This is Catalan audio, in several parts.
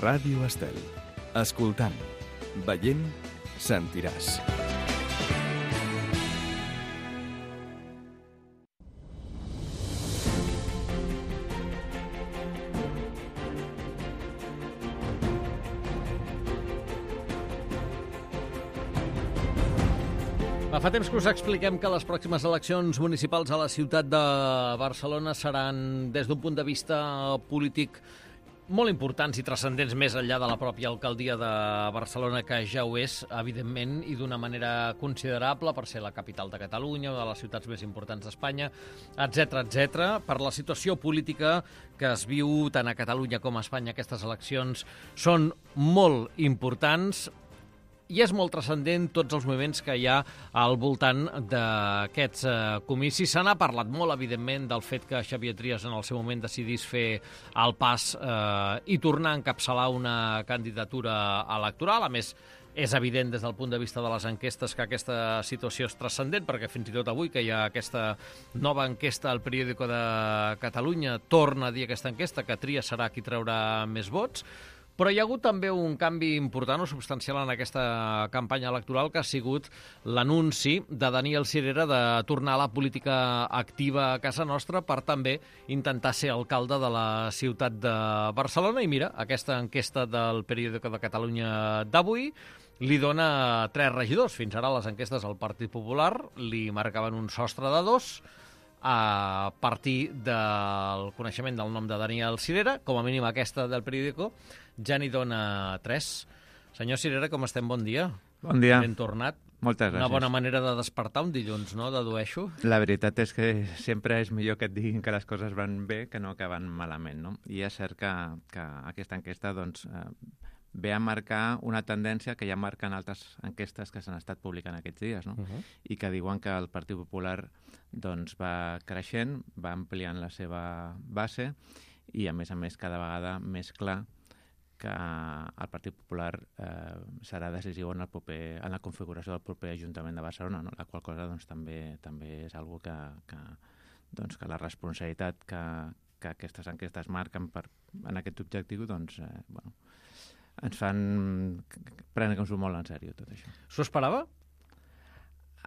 Ràdio Estel. Escoltant, veient, sentiràs. Fa temps que us expliquem que les pròximes eleccions municipals a la ciutat de Barcelona seran, des d'un punt de vista polític, molt importants i transcendents més enllà de la pròpia alcaldia de Barcelona, que ja ho és, evidentment, i d'una manera considerable per ser la capital de Catalunya, una de les ciutats més importants d'Espanya, etc etc. Per la situació política que es viu tant a Catalunya com a Espanya, aquestes eleccions són molt importants. I és molt transcendent tots els moviments que hi ha al voltant d'aquests comicis. Se n'ha parlat molt, evidentment, del fet que Xavier Trias en el seu moment decidís fer el pas i tornar a encapçalar una candidatura electoral. A més, és evident des del punt de vista de les enquestes que aquesta situació és transcendent, perquè fins i tot avui que hi ha aquesta nova enquesta al Periódico de Catalunya torna a dir aquesta enquesta que Trias serà qui traurà més vots. Però hi ha hagut també un canvi important o substancial en aquesta campanya electoral, que ha sigut l'anunci de Daniel Sirera de tornar a la política activa a casa nostra per també intentar ser alcalde de la ciutat de Barcelona. I mira, aquesta enquesta del Periódico de Catalunya d'avui li dona 3 regidors. Fins ara les enquestes al Partit Popular li marcaven un sostre de 2, a partir del coneixement del nom de Daniel Sirera. Com a mínim aquesta del Periódico ja n'hi dona 3. Senyor Sirera, com estem? Bon dia. Bon dia. Ben tornat. Moltes gràcies. Una bona manera de despertar un dilluns, no? Dedueixo. La veritat és que sempre és millor que et diguin que les coses van bé que no que van malament, no? I és cert que aquesta enquesta doncs, ve a marcar una tendència que ja marquen altres enquestes que s'han estat publicant aquests dies, no? I que diuen que el Partit Popular doncs, va creixent, va ampliant la seva base i, a més, cada vegada més clar que el Partit Popular serà decisiu en la configuració del proper Ajuntament de Barcelona, no? La qual cosa doncs, també és una cosa que la responsabilitat que aquestes enquestes marquen en aquest objectiu doncs, ens fan prendre-nos-ho molt en sèrio, tot això. S'ho esperava?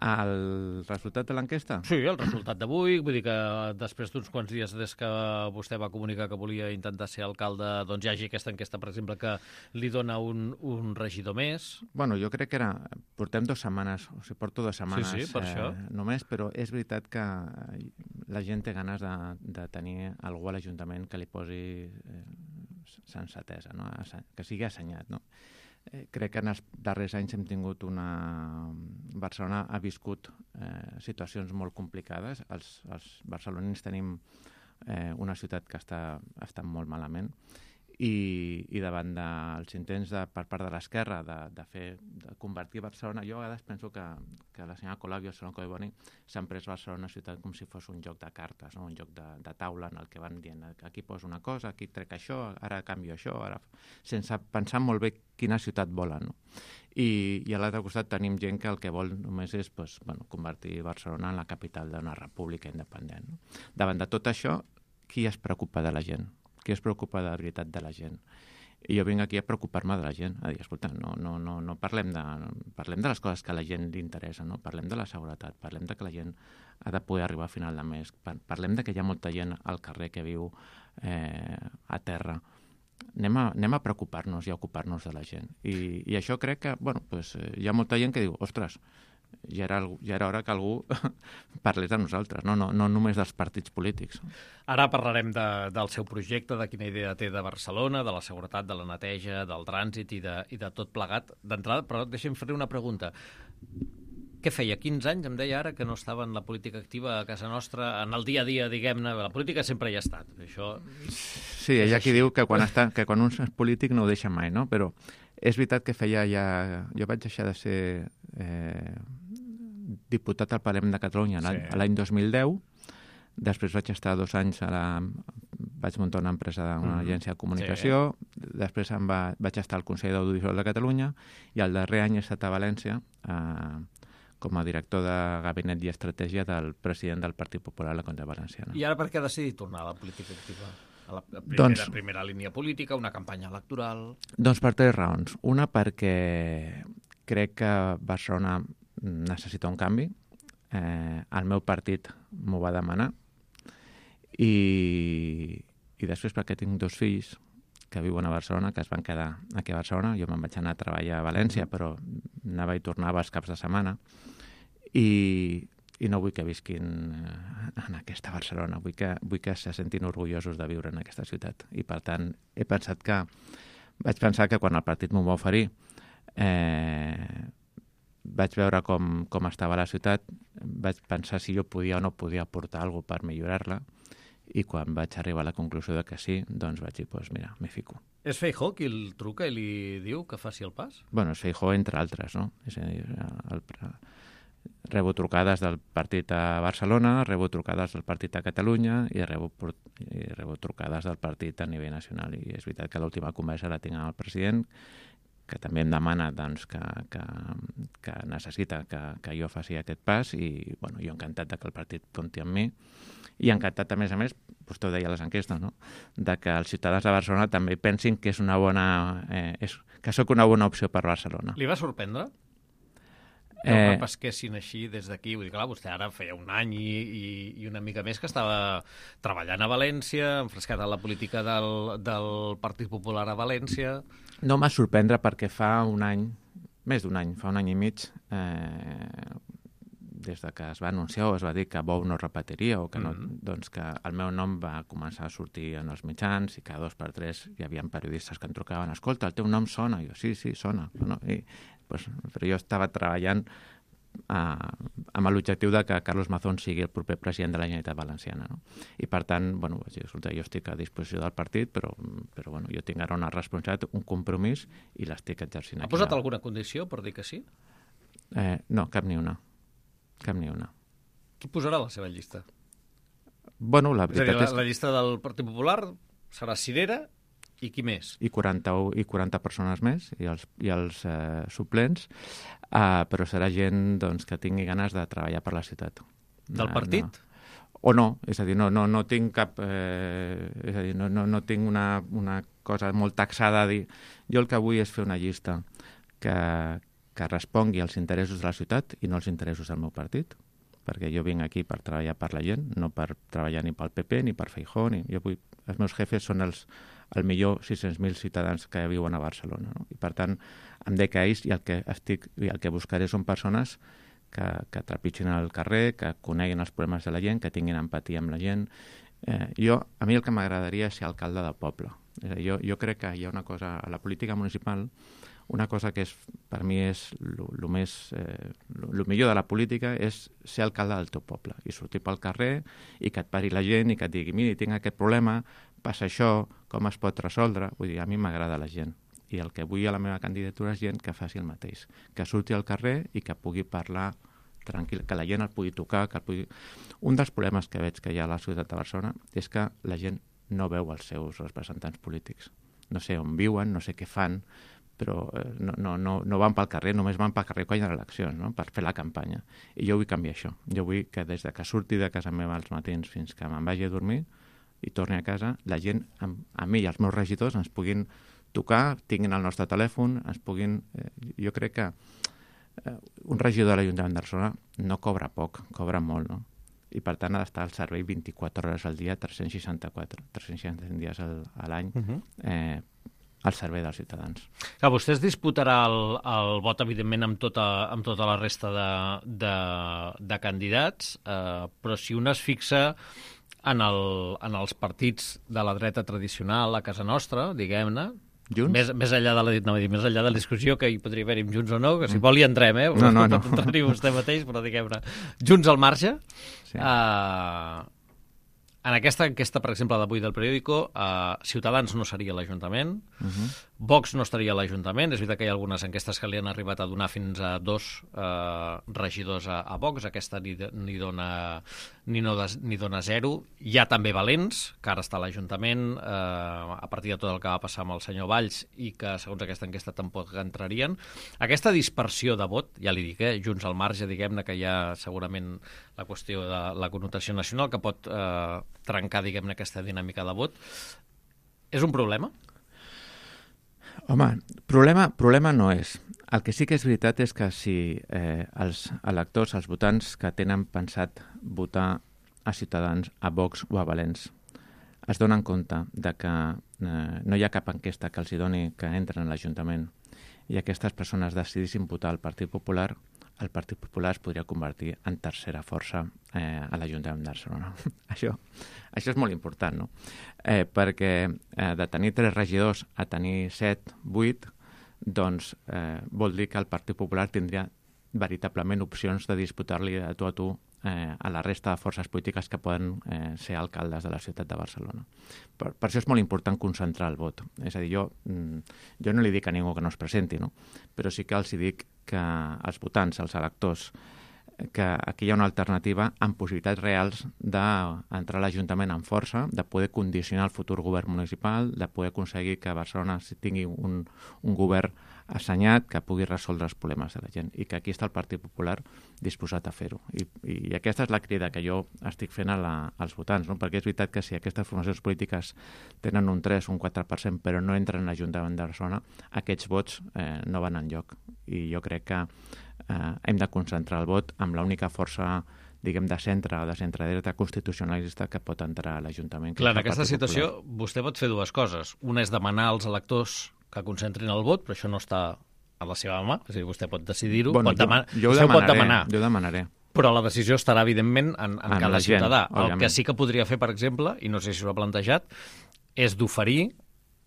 El resultat de l'enquesta? Sí, el resultat d'avui. Vull dir que després d'uns quants dies des que vostè va comunicar que volia intentar ser alcalde, doncs hi hagi aquesta enquesta, per exemple, que li dona un regidor més. Bueno, jo crec que portem 2 setmanes, o sigui, porto 2 setmanes sí, per això. Només, però és veritat que la gent té ganes de tenir algú a l'Ajuntament que li posi sensatesa, no? Que sigui assenyat, no? Crec que en els darrers anys hem tingut Barcelona ha viscut situacions molt complicades. Els barcelonins tenim una ciutat que està molt malament i davant dels intents per part de l'esquerra de convertir Barcelona, jo a vegades penso que la senyora Colau i el senyor Collboni s'han pres Barcelona ciutat com si fos un joc de cartes, no? Un joc de taula en el que van dient aquí poso una cosa, aquí trec això, ara canvio això, sense pensar molt bé quina ciutat volen, no? I a l'altre costat tenim gent que el que vol només és convertir Barcelona en la capital d'una república independent, no? Davant de tot això, qui es preocupa de la gent? Qui es preocupa de la veritat de la gent? I jo vinc aquí a preocupar-me de la gent, a dir, escolta, no parlem de les coses que a la gent li interessa, no? Parlem de la seguretat, parlem de que la gent ha de poder arribar a final de mes, parlem de que hi ha molta gent al carrer que viu a terra. Anem a preocupar-nos i a ocupar-nos de la gent. I això crec que, hi ha molta gent que diu, ostres, ja era hora que algú parlés de nosaltres, no només dels partits polítics. Ara parlarem del seu projecte, de quina idea té de Barcelona, de la seguretat, de la neteja, del trànsit i de tot plegat d'entrada, però deixem fer-li una pregunta. Què feia? 15 anys, em deia ara, que no estava en la política activa a casa nostra, en el dia a dia, diguem-ne. La política sempre hi ha estat. Això... Sí, hi ha qui diu que quan un és polític no ho deixa mai, no? Però és veritat que feia ja... Jo vaig deixar de ser diputat al Parlament de Catalunya l'any 2010. Després vaig estar 2 anys vaig muntar una empresa, una agència de comunicació. Després vaig estar al Consell d'Audiovisual de Catalunya i el darrer any he estat a València com a director de Gabinet i Estratègia del president del Partit Popular a la Comunitat Valenciana. I ara per què ha decidit tornar a la política activa? A la primera línia política, una campanya electoral... Doncs per 3 raons. Una, perquè crec que Barcelona necessita un canvi. El meu partit m'ho va demanar. I després perquè tinc 2 fills que viuen a Barcelona, que es van quedar aquí a Barcelona. Jo me'n vaig anar a treballar a València, però anava i tornava els caps de setmana. I no vull que visquin en aquesta Barcelona. Vull que se sentin orgullosos de viure en aquesta ciutat. I, per tant, vaig pensar que quan el partit m'ho va oferir, vaig veure com estava la ciutat, vaig pensar si jo podia o no podia aportar alguna cosa per millorar-la, i quan vaig arribar a la conclusió de que sí, doncs vaig dir, doncs mira, m'hi fico. És Feijóo qui el truca i li diu que faci el pas? Bueno, és Feijóo entre altres, no? És a dir, rebo trucades del partit a Barcelona, rebo trucades del partit a Catalunya i rebo trucades del partit a nivell nacional. I és veritat que l'última conversa la tinc amb el president, que també em demana doncs, que necessita que jo faci aquest pas, i bueno, jo encantat de que el partit compti amb mi, i encantat, a més, vostè ho deia a les enquestes, no? De que els ciutadans de Barcelona també pensin que és una bona, que sóc una bona opció per Barcelona. Li va sorprendre? Que ho repesquessin així des d'aquí? Vull dir, clar, vostè ara feia un any i una mica més que estava treballant a València, enfrescat a la política del Partit Popular a València... No m'ha sorprendre perquè fa un any, més d'un any, fa un any i mig, des de que es va anunciar o es va dir que Bou no repetiria o que no, doncs que el meu nom va començar a sortir en els mitjans i cada 2 per 3 hi havia periodistes que em trucaven, escolta, el teu nom sona. I jo, sí, sona. No? Però jo estava treballant amb l'objectiu de que Carlos Mazón sigui el proper president de la Generalitat Valenciana. No? I per tant, bueno, vaig dir, escolta, jo estic a disposició del partit, però bueno, jo tinc ara una responsabilitat, un compromís, i l'estic exercint aquí. Ha posat alguna condició per dir que sí? No, cap ni una. Cap ni una. Qui posarà la seva llista? Bueno, la veritat és... La llista del Partit Popular serà Cirera i qui més? I 40 persones més, i els suplents, però serà gent doncs, que tingui ganes de treballar per la ciutat. Del partit? No. O no, és a dir, no tinc cap... és a dir, no tinc una cosa molt taxada a dir... Jo el que vull és fer una llista que respongui als interessos de la ciutat i no als interessos del meu partit, perquè jo vinc aquí per treballar per la gent, no per treballar ni pel PP ni per Feijóo. Els meus jefes són el millor 600.000 ciutadans que viuen a Barcelona. No? I per tant, em dec a ells, i el que buscaré són persones que trepitgin al carrer, que coneguin els problemes de la gent, que tinguin empatia amb la gent. A mi el que m'agradaria és ser alcalde del poble. És a dir, jo crec que hi ha una cosa a la política municipal, una cosa que per mi és el millor de la política és ser alcalde del teu poble i sortir pel carrer i que et pari la gent i que et digui, mira, tinc aquest problema, passa això, com es pot resoldre. Vull dir, a mi m'agrada la gent i el que vull a la meva candidatura és gent que faci el mateix, que surti al carrer i que pugui parlar tranquil, que la gent el pugui tocar, Un dels problemes que veig que hi ha a la ciutat de Barcelona és que la gent no veu els seus representants polítics. No sé on viuen, no sé què fan, però no van pel carrer, només van pel carrer quan hi ha eleccions, no? Per fer la campanya. I jo vull canviar això. Jo vull que des de que surti de casa meva als matins fins que me'n vagi a dormir i torni a casa, la gent, a mi i als meus regidors, ens puguin tocar, tinguin el nostre telèfon, ens puguin... Jo crec que un regidor de l'Ajuntament de Barcelona no cobra poc, cobra molt, no? I per tant ha d'estar al servei 24 hores al dia, 365 dies a l'any, al servei dels ciutadans. Clar, vostè es disputarà el vot, evidentment, amb tota la resta de candidats, però si un es fixa en els partits de la dreta tradicional a casa nostra, diguem-ne, més enllà de la discussió que hi podria haver-hi amb Junts o no, que si vol hi entrem, No. Pot entrar-hi vostè mateix, però diguem-ne, Junts al marge, sí. En aquesta enquesta, per exemple, d'avui del periòdico, Ciutadans no seria l'Ajuntament, Vox no estaria a l'Ajuntament. És veritat que hi ha algunes enquestes que li han arribat a donar fins a 2 regidors a Vox. Aquesta ni dona 0. Hi ha també Valents, que ara està a l'Ajuntament, a partir de tot el que va passar amb el senyor Valls, i que, segons aquesta enquesta, tampoc entrarien. Aquesta dispersió de vot, ja li dic, Junts al marge, diguem-ne que hi ha segurament la qüestió de la connotació nacional, que pot trencar, diguem-ne, aquesta dinàmica de vot. És un problema? Home, problema no és. El que sí que és veritat és que si els electors, els votants que tenen pensat votar a Ciutadans, a Vox o a Valens, es donen compte de que no hi ha cap enquesta que els hi doni que entren a l'Ajuntament i aquestes persones decidissin votar al Partit Popular, el Partit Popular es podria convertir en tercera força a l'Ajuntament de Barcelona. Això és molt important, no? Perquè de tenir 3 regidors a tenir 7, 8, doncs vol dir que el Partit Popular tindria veritablement opcions de disputar-li a tu a la resta de forces polítiques que poden ser alcaldes de la ciutat de Barcelona. Per això és molt important concentrar el vot. És a dir, jo no li dic a ningú que no es presenti, no? Però sí que els dic que els votants, els electors, que aquí hi ha una alternativa amb possibilitats reals d'entrar a l'Ajuntament amb força, de poder condicionar el futur govern municipal, de poder aconseguir que Barcelona tingui un govern assenyat que pugui resoldre els problemes de la gent i que aquí està el Partit Popular disposat a fer-ho. I aquesta és la crida que jo estic fent als votants, no? Perquè és veritat que si aquestes formacions polítiques tenen un 3 o un 4% però no entren a l'Ajuntament de Barcelona, aquests vots no van enlloc. I jo crec que hem de concentrar el vot amb l'única força, diguem, de centre o de centre-dreta constitucionalista que pot entrar a l'Ajuntament. Clar, en aquesta situació vostè pot fer 2 coses. Una és demanar als electors que concentrin el vot, però això no està a la seva mà, és a dir, vostè pot decidir-ho, bueno, jo ho demanaré. Però la decisió estarà, evidentment, en cada ciutadà. Òbviament. El que sí que podria fer, per exemple, i no sé si s'ho ha plantejat, és d'oferir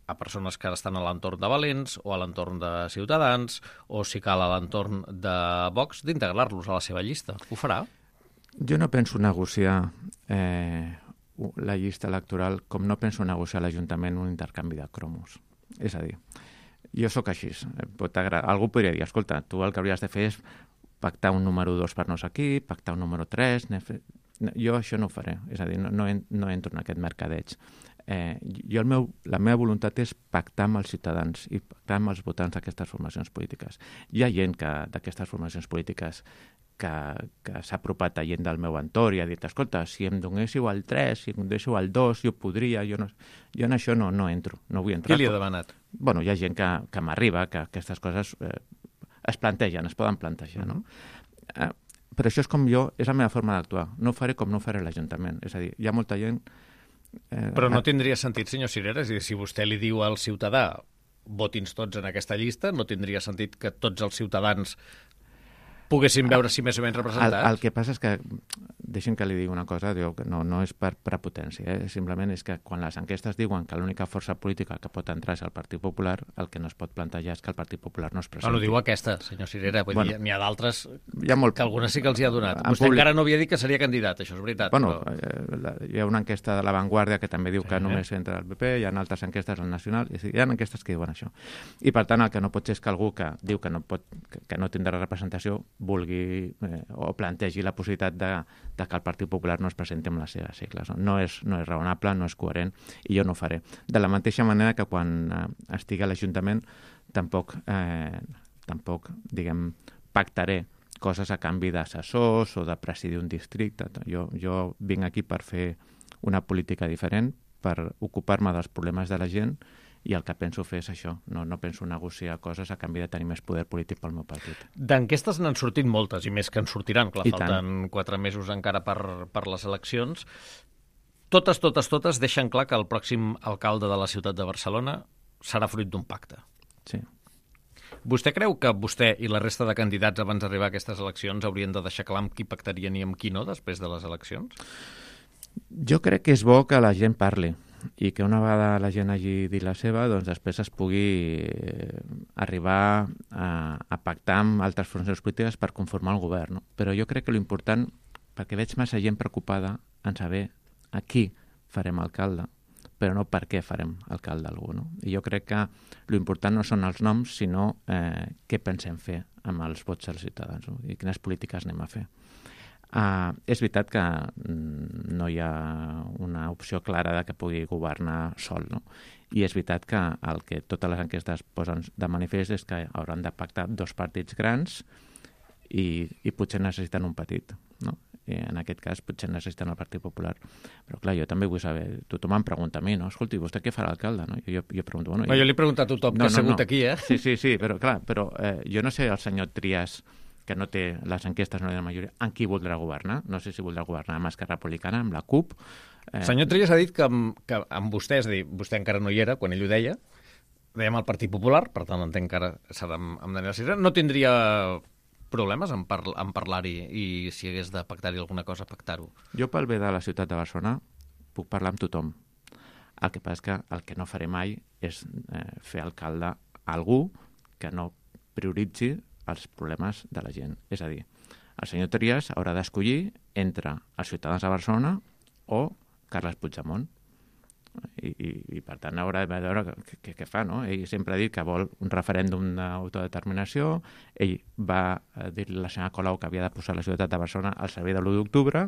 a persones que estan a l'entorn de Valens o a l'entorn de Ciutadans o, si cal, a l'entorn de Vox, d'integrar-los a la seva llista. Ho farà? Jo no penso negociar la llista electoral com no penso negociar a l'Ajuntament un intercanvi de cromos. És a dir, jo sóc així. Algú podria dir, escolta, tu el que hauries de fer és pactar un número 2 per no sé qui, pactar un número 3... Jo això no ho faré. És a dir, no entro en aquest mercadeig. La meva voluntat és pactar amb els ciutadans i pactar amb els votants d'aquestes formacions polítiques. Hi ha gent d'aquestes formacions polítiques que s'ha apropat a gent del meu entorn i ha dit, escolta, si em donéssiu el 3, si em donéssiu el 2, jo podria, jo en això no entro, no vull entrar. Qui li ha demanat? Bueno, hi ha gent que m'arriba, que aquestes coses es plantegen, es poden plantejar, no? Però això és la meva forma d'actuar. No ho faré com no ho faré a l'Ajuntament. És a dir, hi ha molta gent... Però no tindria sentit, senyor Cirera, és a dir, si vostè li diu al ciutadà voti'ns tots en aquesta llista, no tindria sentit que tots els ciutadans poguessin veure si més o menys representats? El que passa és que, deixi'm que li digui una cosa, que no és per prepotència, simplement és que quan les enquestes diuen que l'única força política que pot entrar és el Partit Popular, el que no es pot plantejar és que el Partit Popular no es presenti. No diu aquesta, senyor Cirera, n'hi ha d'altres que algunes sí que els hi ha donat. Vostè encara no havia dit que seria candidat, això és veritat. Bueno, hi ha una enquesta de La Vanguardia que també diu que només entra el PP, hi ha altres enquestes al Nacional, hi ha enquestes que diuen això. I per tant, el que no pot ser és que algú que diu que no tindrà representació vulgui o plantegi la possibilitat de que el Partit Popular no es presenti amb les seves sigles. No és raonable, no és coherent i jo no ho faré. De la mateixa manera que quan estigui a l'Ajuntament tampoc diguem, pactaré coses a canvi d'assessors o de presidir un districte. Jo vinc aquí per fer una política diferent, per ocupar-me dels problemes de la gent i el que penso fer és això. No penso negociar coses a canvi de tenir més poder polític pel meu partit. D'enquestes n'han sortit moltes i més que en sortiran. Clar, I falten 4 mesos encara per les eleccions. Totes deixen clar que el pròxim alcalde de la ciutat de Barcelona serà fruit d'un pacte. Sí. Vostè creu que vostè i la resta de candidats abans d'arribar a aquestes eleccions haurien de deixar clar amb qui pactarien i amb qui no després de les eleccions? Jo crec que és bo que la gent parli i que una vegada la gent hagi dit la seva, doncs després es pugui arribar a pactar amb altres formacions polítiques per conformar el govern. No? Però jo crec que l'important, perquè veig massa gent preocupada en saber a qui farem alcalde, però no per què farem alcalde algú. No? I jo crec que l'important no són els noms, sinó què pensem fer amb els vots dels ciutadans, no? I quines polítiques anem a fer. És veritat que no hi ha una opció clara de que pugui governar sol, no? I és veritat que el que totes les enquestes posen de manifest és que hauran de pactar 2 partits grans i potser necessiten un petit, no? en aquest cas potser necessiten el Partit Popular. Però clar, jo també vull saber, tothom em pregunta a mi, no? Escolti, vostè què farà l'alcalde? No? Jo pregunto, bueno... Jo li he preguntat a tothom que ha segut aquí, eh? Sí, però clar, jo no sé el senyor Trias, que no té les enquestes, no té la majoria, amb qui voldrà governar. No sé si voldrà governar amb Esquerra Republicana, amb la CUP... El senyor Trias ha dit que amb vostè, és a dir, vostè encara no hi era quan ell ho deia, dèiem el Partit Popular, per tant entenc que ara serà amb Daniel Sirera, no tindria problemes en parlar-hi i si hagués de pactar-hi alguna cosa, pactar-ho. Jo pel bé de la ciutat de Barcelona puc parlar amb tothom. El que passa és que el que no faré mai és fer alcalde a algú que no prioritzi els problemes de la gent. És a dir, el senyor Trias haurà d'escollir entre els ciutadans de Barcelona o Carles Puigdemont. I per tant haurà de veure què fa, no? Ell sempre ha dit que vol un referèndum d'autodeterminació, ell va dir-li a la senyora Colau que havia de posar la ciutat de Barcelona al servei de l'1 d'octubre,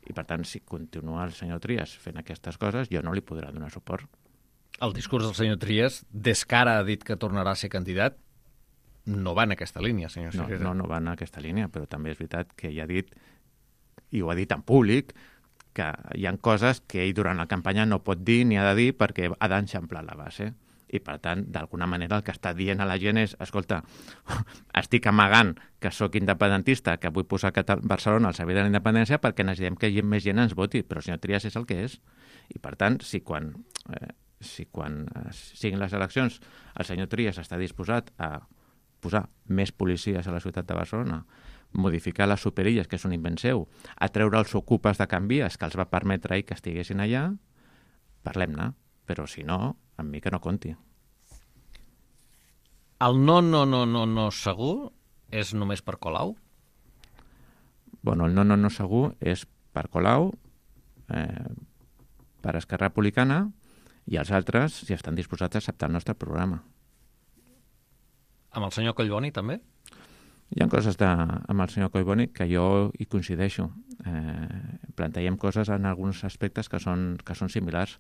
i per tant, si continua el senyor Trias fent aquestes coses, jo no li podrà donar suport. El discurs del senyor Trias, des que ara ha dit que tornarà a ser candidat, no va en aquesta línia, senyor Sirera. No va en aquesta línia, però també és veritat que ell ha dit, i ho ha dit en públic, que hi ha coses que ell durant la campanya no pot dir ni ha de dir perquè ha d'enxamplar la base. I, per tant, d'alguna manera el que està dient a la gent és, escolta, estic amagant que sóc independentista, que vull posar Barcelona al servei de la independència perquè necessitem que més gent ens voti, però el senyor Trias és el que és. I, per tant, si quan siguin les eleccions el senyor Trias està disposat a posar més policies a la ciutat de Barcelona, modificar les superilles, que és un invent seu, a treure els ocupes de Can Vies, que els va permetre ell que estiguessin allà, parlem-ne. Però si no, amb mi que no compti. El no segur és només per Colau? Bueno, el no segur és per Colau, per Esquerra Republicana, i els altres si estan disposats a acceptar el nostre programa. Amb el senyor Collboni, també? Hi ha coses amb el senyor Collboni que jo hi coincideixo. Plantegem coses en alguns aspectes que són similars,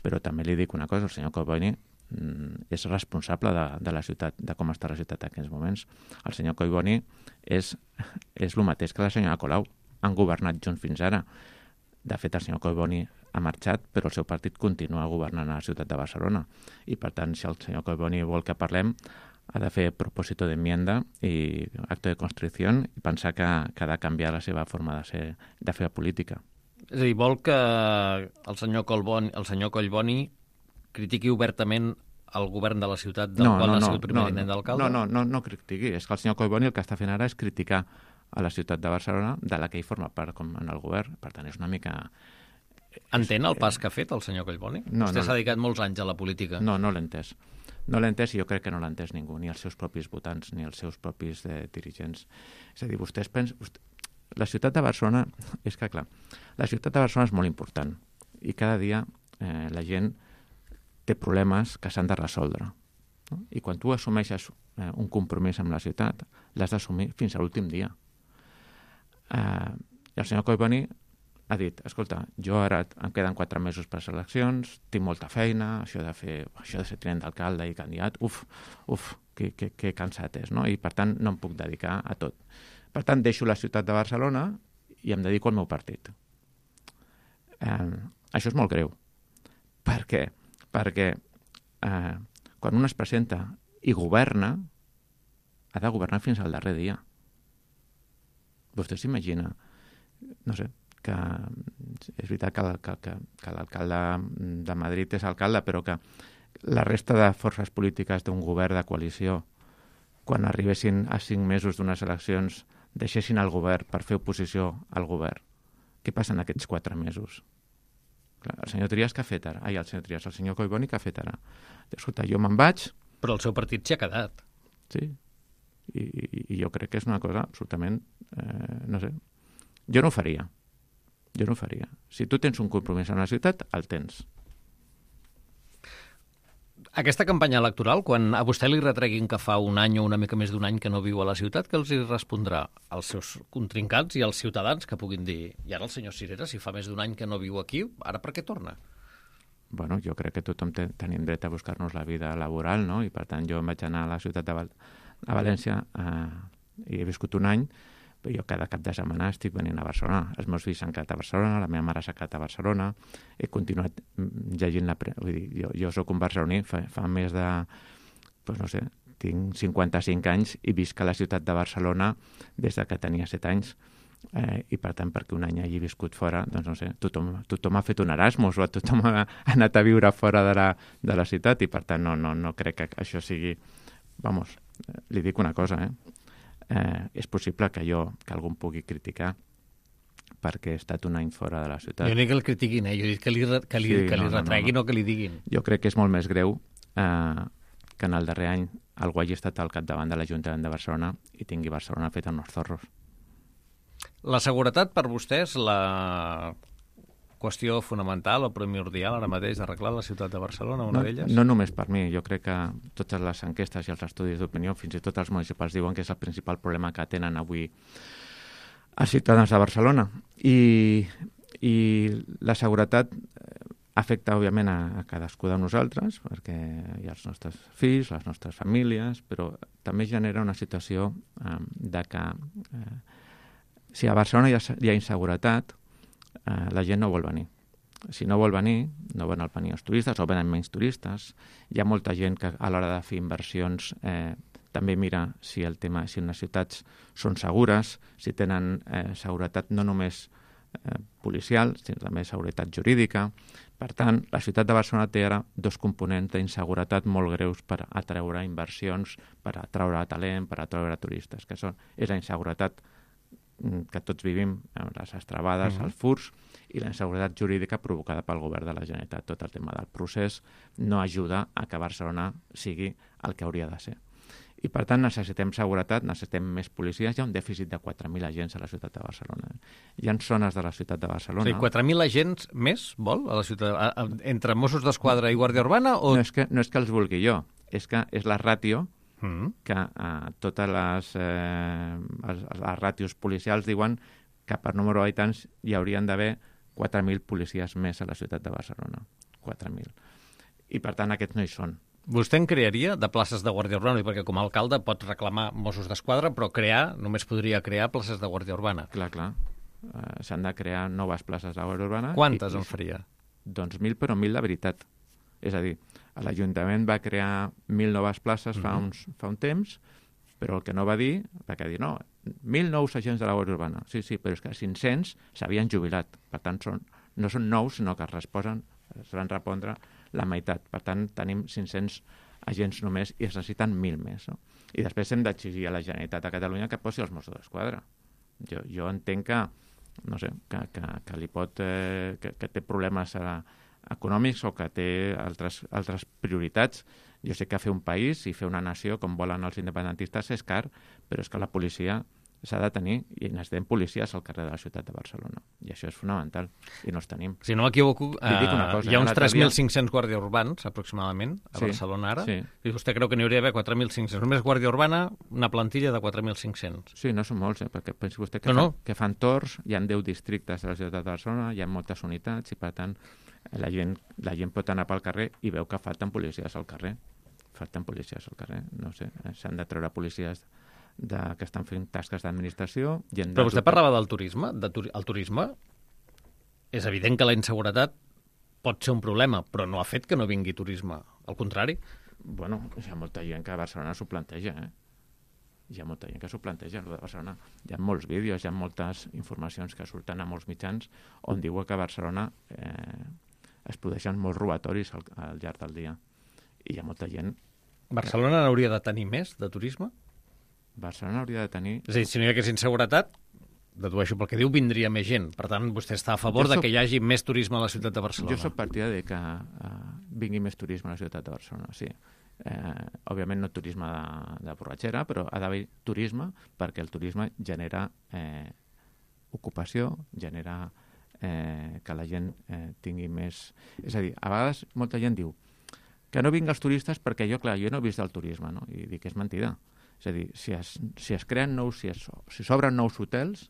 però també li dic una cosa, el senyor Collboni és responsable de la ciutat, de com està la ciutat en aquests moments. El senyor Collboni és el mateix que la senyora Colau. Han governat junts fins ara. De fet, el senyor Collboni ha marxat, però el seu partit continua governant a la ciutat de Barcelona. I, per tant, si el senyor Collboni vol que parlem, ha de fer propòsito d'enmienda i acte de constricció i pensar que ha de canviar la seva forma de fer política. És a dir, vol que el senyor Collboni critiqui obertament el govern de la ciutat del qual ha sigut primer tinent d'alcalde? No critiqui. És que el senyor Collboni el que està fent ara és criticar a la ciutat de Barcelona, de la que ell forma part com en el govern. Per tant, és una mica... Entén el pas que ha fet el senyor Collboni? Vostè s'ha dedicat molts anys a la política. No l'he entès. No l'he entès i jo crec que no l'ha entès ningú, ni els seus propis votants, ni els seus propis dirigents. És a dir, vostès pensen... La ciutat de Barcelona... És que, clar, la ciutat de Barcelona és molt important i cada dia la gent té problemes que s'han de resoldre. No? I quan tu assumeixes un compromís amb la ciutat, l'has d'assumir fins a l'últim dia. I el senyor Collboni ha dit, escolta, jo ara em queden 4 mesos per les eleccions, tinc molta feina, això de ser tinent d'alcalde i candidat, que cansat és, no? I per tant no em puc dedicar a tot. Per tant, deixo la ciutat de Barcelona i em dedico al meu partit. Això és molt greu. Per què? Perquè quan un es presenta i governa, ha de governar fins al darrer dia. Vostè s'imagina, no sé, que és veritat que l'alcalde de Madrid és alcalde, però que la resta de forces polítiques d'un govern de coalició, quan arribessin a 5 mesos d'unes eleccions, deixessin el govern per fer oposició al govern. Què passa en aquests 4 mesos? Clar, el senyor Trias què ha fet ara? El senyor Collboni què ha fet ara? Escolta, jo me'n vaig... Però el seu partit s'hi ha quedat. Sí, i jo crec que és una cosa absolutament... no sé, jo no ho faria. Si tu tens un compromís amb la ciutat, el tens. Aquesta campanya electoral, quan a vostè li retreguin que fa un any o una mica més d'un any que no viu a la ciutat, què els hi respondrà als seus contrincants i als ciutadans que puguin dir i ara el senyor Sirera, si fa més d'un any que no viu aquí, ara per què torna? Bueno, jo crec que tothom tenim dret a buscar-nos la vida laboral, no? I per tant jo em vaig anar a la ciutat de València i he viscut un any però jo cada cap de setmana estic venint a Barcelona. Els meus fills s'han quedat a Barcelona, la meva mare s'ha quedat a Barcelona, he continuat llegint vull dir, jo soc un barceloní, fa més de, doncs no sé, tinc 55 anys i visc a la ciutat de Barcelona des de que tenia 7 anys. I per tant, perquè un any hagi viscut fora, doncs no sé, tothom ha fet un Erasmus o tothom ha anat a viure fora de la ciutat i per tant no crec que això sigui... Vamos, li dic una cosa, és possible que algú em pugui criticar perquè he estat un any fora de la ciutat. Jo no dic que el critiquin, jo dic que li retreguin o que li diguin. Jo crec que és molt més greu que en el darrer any algú hagi estat al capdavant de l'Ajuntament de Barcelona i tingui Barcelona feta en els zorros. La seguretat per vostès, la qüestió fonamental o primordial ara mateix d'arreglar la ciutat de Barcelona, una d'elles? No només per mi, jo crec que totes les enquestes i els estudis d'opinió, fins i tot els municipals, diuen que és el principal problema que tenen avui els ciutadans de Barcelona. I la seguretat afecta, òbviament, a cadascú de nosaltres, perquè hi ha els nostres fills, les nostres famílies, però també genera una situació de que si a Barcelona hi ha inseguretat, la gent no vol venir. Si no vol venir, no volen venir els turistes o venen menys turistes. Hi ha molta gent que a l'hora de fer inversions també mira si les ciutats són segures, si tenen seguretat no només policial, sinó també seguretat jurídica. Per tant, la ciutat de Barcelona té ara 2 components d'inseguretat molt greus per atraure inversions, per atraure talent, per atraure turistes, que és la inseguretat que tots vivim, les estrabades, els furts, i la inseguretat jurídica provocada pel govern de la Generalitat. Tot el tema del procés no ajuda a que Barcelona sigui el que hauria de ser. I, per tant, necessitem seguretat, necessitem més policies. Hi ha un dèficit de 4.000 agents a la ciutat de Barcelona. Hi ha zones de la ciutat de Barcelona... O sigui, 4.000 agents més, vol, a la ciutat, entre Mossos d'Esquadra i Guàrdia Urbana? O... No és que els vulgui jo, és que és la ràtio que totes les ràtios policials diuen que per número d'habitants hi haurien d'haver 4.000 policies més a la ciutat de Barcelona. 4.000. I, per tant, aquests no hi són. Vostè en crearia de places de Guàrdia Urbana? Perquè com a alcalde pot reclamar Mossos d'Esquadra, però només podria crear places de Guàrdia Urbana. Clar. S'han de crear noves places de Guàrdia Urbana. Quantes en faria? Doncs 1.000, però 1.000 de veritat. És a dir, l'Ajuntament va crear 1.000 noves places fa un temps, però el que no va dir, va dir, no, 1.000 nous agents de la Guàrdia Urbana. Sí, però és que 500 s'havien jubilat. Per tant, no són nous, sinó que es van repondre la meitat. Per tant, tenim 500 agents només i es necessiten 1.000 més. No? I després hem d'exigir a la Generalitat de Catalunya que posi els Mossos d'Esquadra. Jo entenc que, no sé, que li pot... que té problemes econòmics o que té altres prioritats. Jo sé que fer un país i fer una nació com volen els independentistes és car, però és que la policia s'ha de tenir i necessitem policies al carrer de la ciutat de Barcelona. I això és fonamental, i no els tenim. Si no m'equivoco, hi ha uns 3.500 guàrdies urbans, aproximadament, a Barcelona ara. Sí. I vostè creu que n'hi hauria d'haver 4.500. Només guàrdia urbana, una plantilla de 4.500. Sí, no són molts, perquè pensi vostè que fan torns, hi ha 10 districtes de la ciutat de Barcelona, hi ha moltes unitats, i per tant la gent pot anar pel carrer i veu que falten policies al carrer. No sé, s'han de treure policies que estan fent tasques d'administració. Però vostè parlava del turisme. El turisme, és evident que la inseguretat pot ser un problema, però no ha fet que no vingui turisme. Al contrari. Bueno, hi ha molta gent que a Barcelona s'ho planteja, Hi ha molta gent que s'ho planteja, allò de Barcelona. Hi ha molts vídeos, hi ha moltes informacions que surten a molts mitjans on diuen que a Barcelona es produeixen molts robatoris al llarg del dia. I hi ha molta gent... Barcelona n'hauria de tenir més, de turisme? Barcelona hauria de tenir... És a dir, si no hi hagués inseguretat, dedueixo pel que diu, vindria més gent. Per tant, vostè està a favor de que hi hagi més turisme a la ciutat de Barcelona. Jo soc partidari de que vingui més turisme a la ciutat de Barcelona, sí. Òbviament no turisme de borratxera, però ha d'haver turisme perquè el turisme genera ocupació, genera que la gent tingui més... És a dir, a vegades molta gent diu que no vinguin els turistes perquè jo no he vist el turisme, no? I dic que és mentida. És a dir, si es creen si s'obren nous hotels,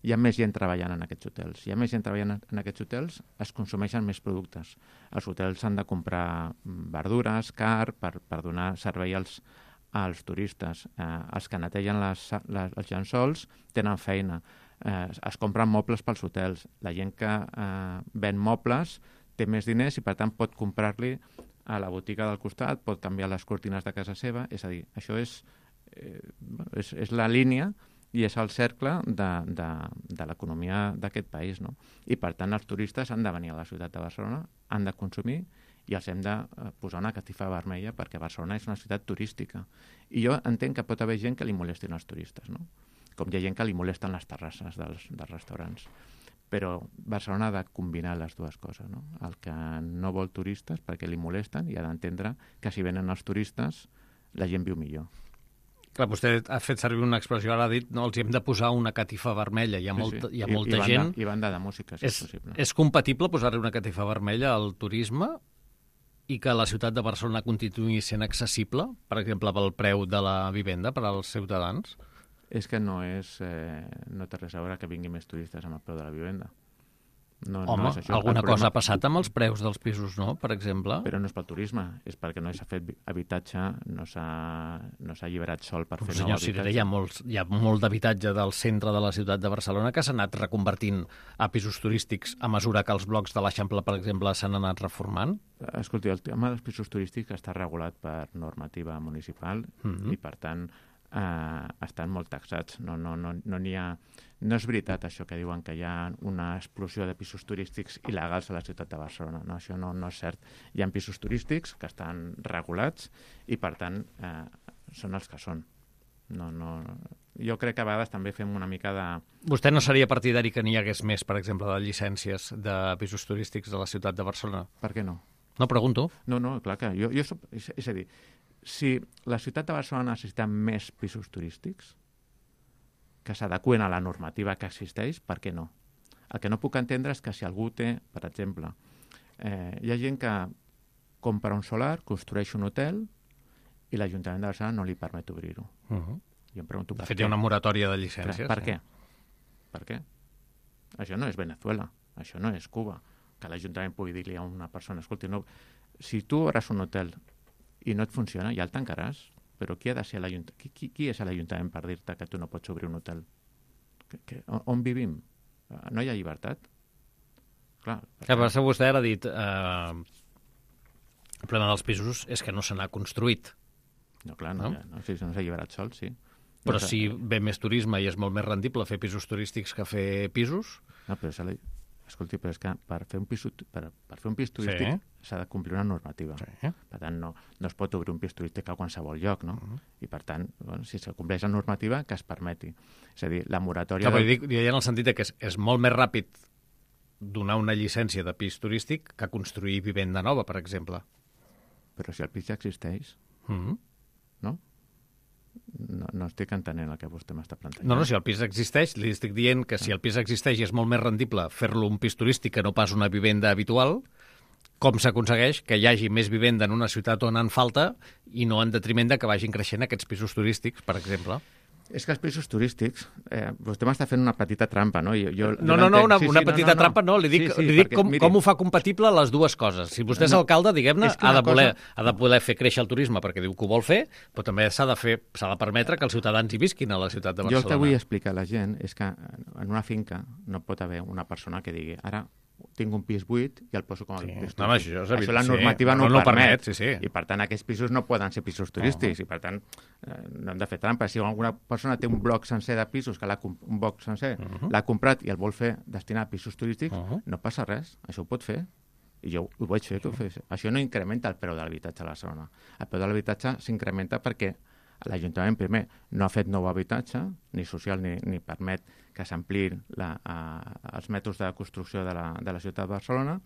hi ha més gent treballant en aquests hotels. Si hi ha més gent treballant en aquests hotels, es consumeixen més productes. Els hotels han de comprar verdures, car, per donar servei als als turistes. Els que netegen els llençols tenen feina. Es compren mobles pels hotels. La gent que ven mobles té més diners i, per tant, pot comprar-li a la botiga del costat, pot canviar les cortines de casa seva. És a dir, això és la línia i és el cercle de l'economia d'aquest país, no? I, per tant, els turistes han de venir a la ciutat de Barcelona, han de consumir i els hem de posar una catifa vermella perquè Barcelona és una ciutat turística. I jo entenc que pot haver gent que li molestin els turistes, no? Com hi ha gent que li molesten les terrasses dels restaurants. Però Barcelona ha de combinar les dues coses, no? El que no vol turistes perquè li molesten i ha d'entendre que si venen els turistes la gent viu millor. Clar, vostè ha fet servir una expressió, ara ha dit, no, els hem de posar una catifa vermella. Hi ha molta gent... I banda de música, si és possible. És compatible posar-li una catifa vermella al turisme i que la ciutat de Barcelona continuï sent accessible, per exemple, pel preu de la vivenda per als ciutadans? És que no té res a veure que vinguin més turistes amb el preu de la vivenda. Home, no és això. Alguna cosa ha passat amb els preus dels pisos, no?, per exemple? Però no és pel turisme, és perquè no s'ha fet habitatge, no s'ha alliberat sol per fer nou habitatge. Senyor Cirera, hi ha molt d'habitatge del centre de la ciutat de Barcelona que s'ha anat reconvertint a pisos turístics a mesura que els blocs de l'Eixample, per exemple, s'han anat reformant? Escolti, el tema dels pisos turístics està regulat per normativa municipal i, per tant, estan molt taxats. No n'hi ha... No és veritat això que diuen que hi ha una explosió de pisos turístics il·legals a la ciutat de Barcelona. No, això no és cert. Hi ha pisos turístics que estan regulats i, per tant, són els que són. Jo crec que a vegades també fem una mica de... Vostè no seria partidari que n'hi hagués més, per exemple, de llicències de pisos turístics de la ciutat de Barcelona? Per què no? No, pregunto. No, clar que jo soc... És a dir, si la ciutat de Barcelona necessita més pisos turístics que s'adeqüen a la normativa que existeix, per què no? El que no puc entendre és que si algú té, per exemple, hi ha gent que compra un solar, construeix un hotel i l'Ajuntament de Barcelona no li permet obrir-ho. Jo em pregunto per què. De fet, hi ha una moratòria de llicències. Per què? Per què? Això no és Venezuela, això no és Cuba, que l'Ajuntament pugui dir-li a una persona, escolti, no, si tu obres un hotel i no et funciona, ja el tancaràs. Però qui ha de ser l'Ajuntament? Qui és l'Ajuntament per dir-te que tu no pots obrir un hotel? On vivim? No hi ha llibertat? Clar. Que passa, vostè ara ha dit el problema dels pisos és que no se n'ha construït. No, clar, no s'ha alliberat sol, sí. Però si ve més turisme i és molt més rendible fer pisos turístics que fer pisos... No, però escolti, però és que per fer un pis turístic s'ha de complir una normativa. Sí. Per tant, no es pot obrir un pis turístic a qualsevol lloc, no? I, per tant, si se compleix la normativa, que es permeti. És a dir, la moratòria... Clar, dic en el sentit que és molt més ràpid donar una llicència de pis turístic que construir vivenda nova, per exemple. Però si el pis ja existeix, no? No estic entenent el que vostè m'està plantejant. No, si el pis existeix, li estic dient que si el pis existeix i és molt més rendible fer-lo un pis turístic que no pas una vivenda habitual, com s'aconsegueix que hi hagi més vivenda en una ciutat on en falta i no en detriment de que vagin creixent aquests pisos turístics, per exemple? És que els pisos turístics... vostè m'està fent una petita trampa, no? Una petita trampa no. Li dic com ho fa compatible les dues coses. Si vostè és alcalde, diguem-ne, ha de poder fer créixer el turisme perquè diu que ho vol fer, però també s'ha de permetre que els ciutadans hi visquin a la ciutat de Barcelona. Jo el que vull explicar a la gent és que en una finca no pot haver una persona que digui ara tinc un pis buit i el poso com a pis turístic. Això la normativa no ho permet. I, per tant, aquests pisos no poden ser pisos turístics. I, per tant, no hem de fer trampa. Si alguna persona té un bloc sencer de pisos, un bloc sencer, l'ha comprat i el vol fer destinar a pisos turístics, no passa res. Això ho pot fer. I jo ho vaig fer. Això no incrementa el preu de l'habitatge a Barcelona. El preu de l'habitatge s'incrementa perquè l'Ajuntament, primer, no ha fet nou habitatge, ni social ni permet que s'ampliïn els mètodes de construcció de la ciutat de Barcelona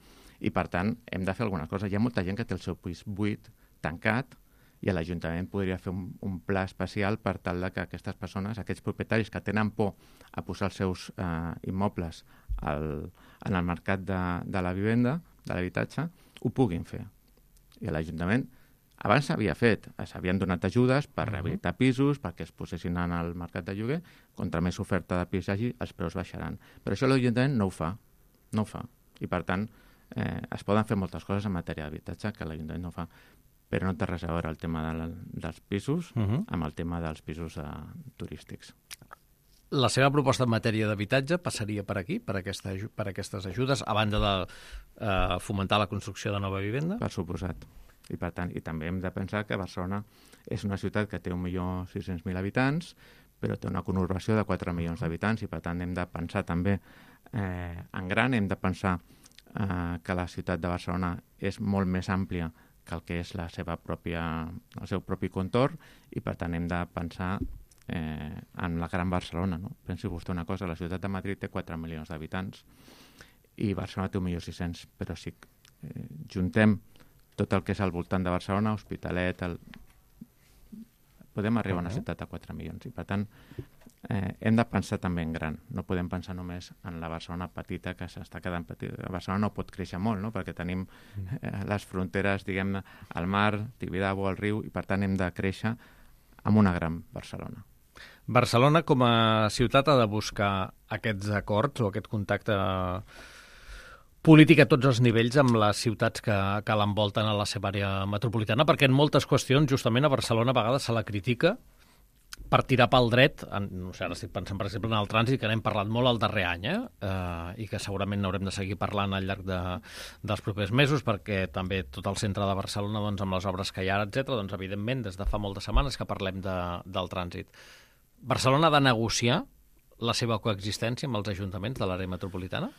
i, per tant, hem de fer alguna cosa. Hi ha molta gent que té el seu pis buit, tancat, i l'Ajuntament podria fer un pla especial per tal que aquestes persones, aquests propietaris que tenen por a posar els seus immobles en el mercat de la vivenda, de l'habitatge, ho puguin fer. I l'Ajuntament abans s'havia fet, s'havien donat ajudes per rehabilitar pisos, perquè es posessin en el mercat de lloguer, contra més oferta de pis hagi, els preus baixaran. Però això l'Ajuntament no ho fa. I, per tant, es poden fer moltes coses en matèria d'habitatge que l'Ajuntament no fa. però no té res a veure el tema dels pisos amb el tema dels pisos turístics. La seva proposta en matèria d'habitatge passaria per aquí, per aquestes ajudes, a banda de fomentar la construcció de nova vivenda? Per suposat. I per tant, i també hem de pensar que Barcelona és una ciutat que té 1.600.000 habitants, però té una conurbació de 4 milions d'habitants i per tant hem de pensar també en gran, hem de pensar que la ciutat de Barcelona és molt més àmplia que el que és el seu propi contorn i per tant hem de pensar en la Gran Barcelona. No? Pensi vostè una cosa, la ciutat de Madrid té 4 milions d'habitants i Barcelona té 1.600.000, però si juntem tot el que és al voltant de Barcelona, Hospitalet, podem arribar a una ciutat de 4 milions. I per tant, hem de pensar també en gran. No podem pensar només en la Barcelona petita que s'està quedant petita. La Barcelona no pot créixer molt, no? Perquè tenim les fronteres, diguem-ne, al mar, Tibidabo, al riu, i per tant hem de créixer amb una gran Barcelona. Barcelona com a ciutat ha de buscar aquests acords o aquest contacte polític a tots els nivells amb les ciutats que l'envolten a la seva àrea metropolitana, perquè en moltes qüestions, justament a Barcelona, a vegades se la critica per tirar pel dret, no sé, ara estic pensant, per exemple, en el trànsit, que n'hem parlat molt el darrer any, i que segurament n'haurem de seguir parlant al llarg dels propers mesos, perquè també tot el centre de Barcelona, doncs, amb les obres que hi ha, etc., doncs, evidentment, des de fa moltes setmanes que parlem del trànsit. Barcelona ha de negociar la seva coexistència amb els ajuntaments de l'àrea metropolitana?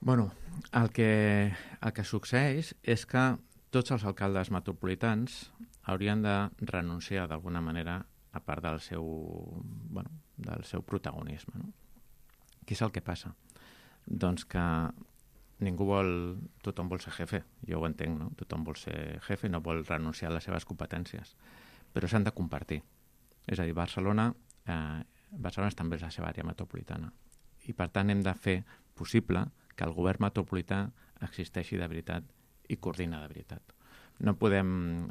Bueno, el que succeeix és que tots els alcaldes metropolitans haurien de renunciar d'alguna manera a part del seu protagonisme. No? Què és el que passa? Doncs que tothom vol ser jefe, jo ho entenc, no? Tothom vol ser jefe i no vol renunciar a les seves competències, però s'han de compartir. És a dir, Barcelona també és la seva àrea metropolitana i per tant hem de fer possible que el govern metropolità existeixi de veritat i coordina de veritat. No podem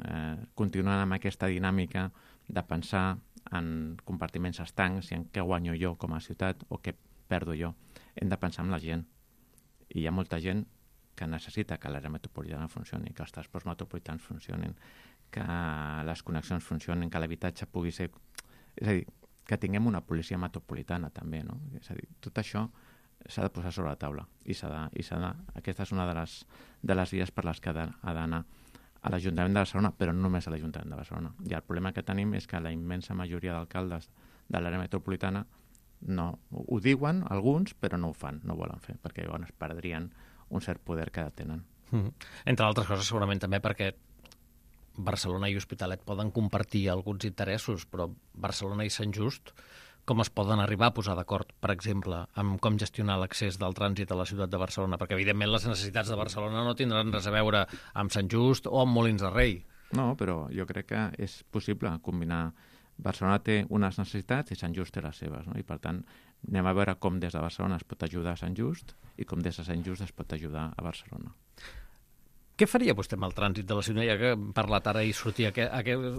continuar amb aquesta dinàmica de pensar en compartiments estancs i en què guanyo jo com a ciutat o què perdo jo. Hem de pensar en la gent. I hi ha molta gent que necessita que l'àrea metropolitana funcioni, que els transports metropolitans funcionin, que les connexions funcionin, que l'habitatge pugui ser... És a dir, que tinguem una policia metropolitana també, no? És a dir, tot això s'ha de posar sobre la taula i aquesta és una de les vies per les que ha d'anar a l'Ajuntament de Barcelona, però no només a l'Ajuntament de Barcelona. I el problema que tenim és que la immensa majoria d'alcaldes de l'àrea metropolitana no ho diuen, alguns, però no ho fan, no ho volen fer, perquè llavors perdrien un cert poder que tenen. Entre altres coses, segurament també perquè Barcelona i Hospitalet poden compartir alguns interessos, però Barcelona i Sant Just com es poden arribar a posar d'acord, per exemple, amb com gestionar l'accés del trànsit a la ciutat de Barcelona? Perquè, evidentment, les necessitats de Barcelona no tindran res a veure amb Sant Just o amb Molins de Rei. No, però jo crec que és possible combinar. Barcelona té unes necessitats i Sant Just té les seves, no? I, per tant, anem a veure com des de Barcelona es pot ajudar a Sant Just i com des de Sant Just es pot ajudar a Barcelona. Què faria vostè amb el trànsit de la ciutat? Ja que hem parlat ara i sortia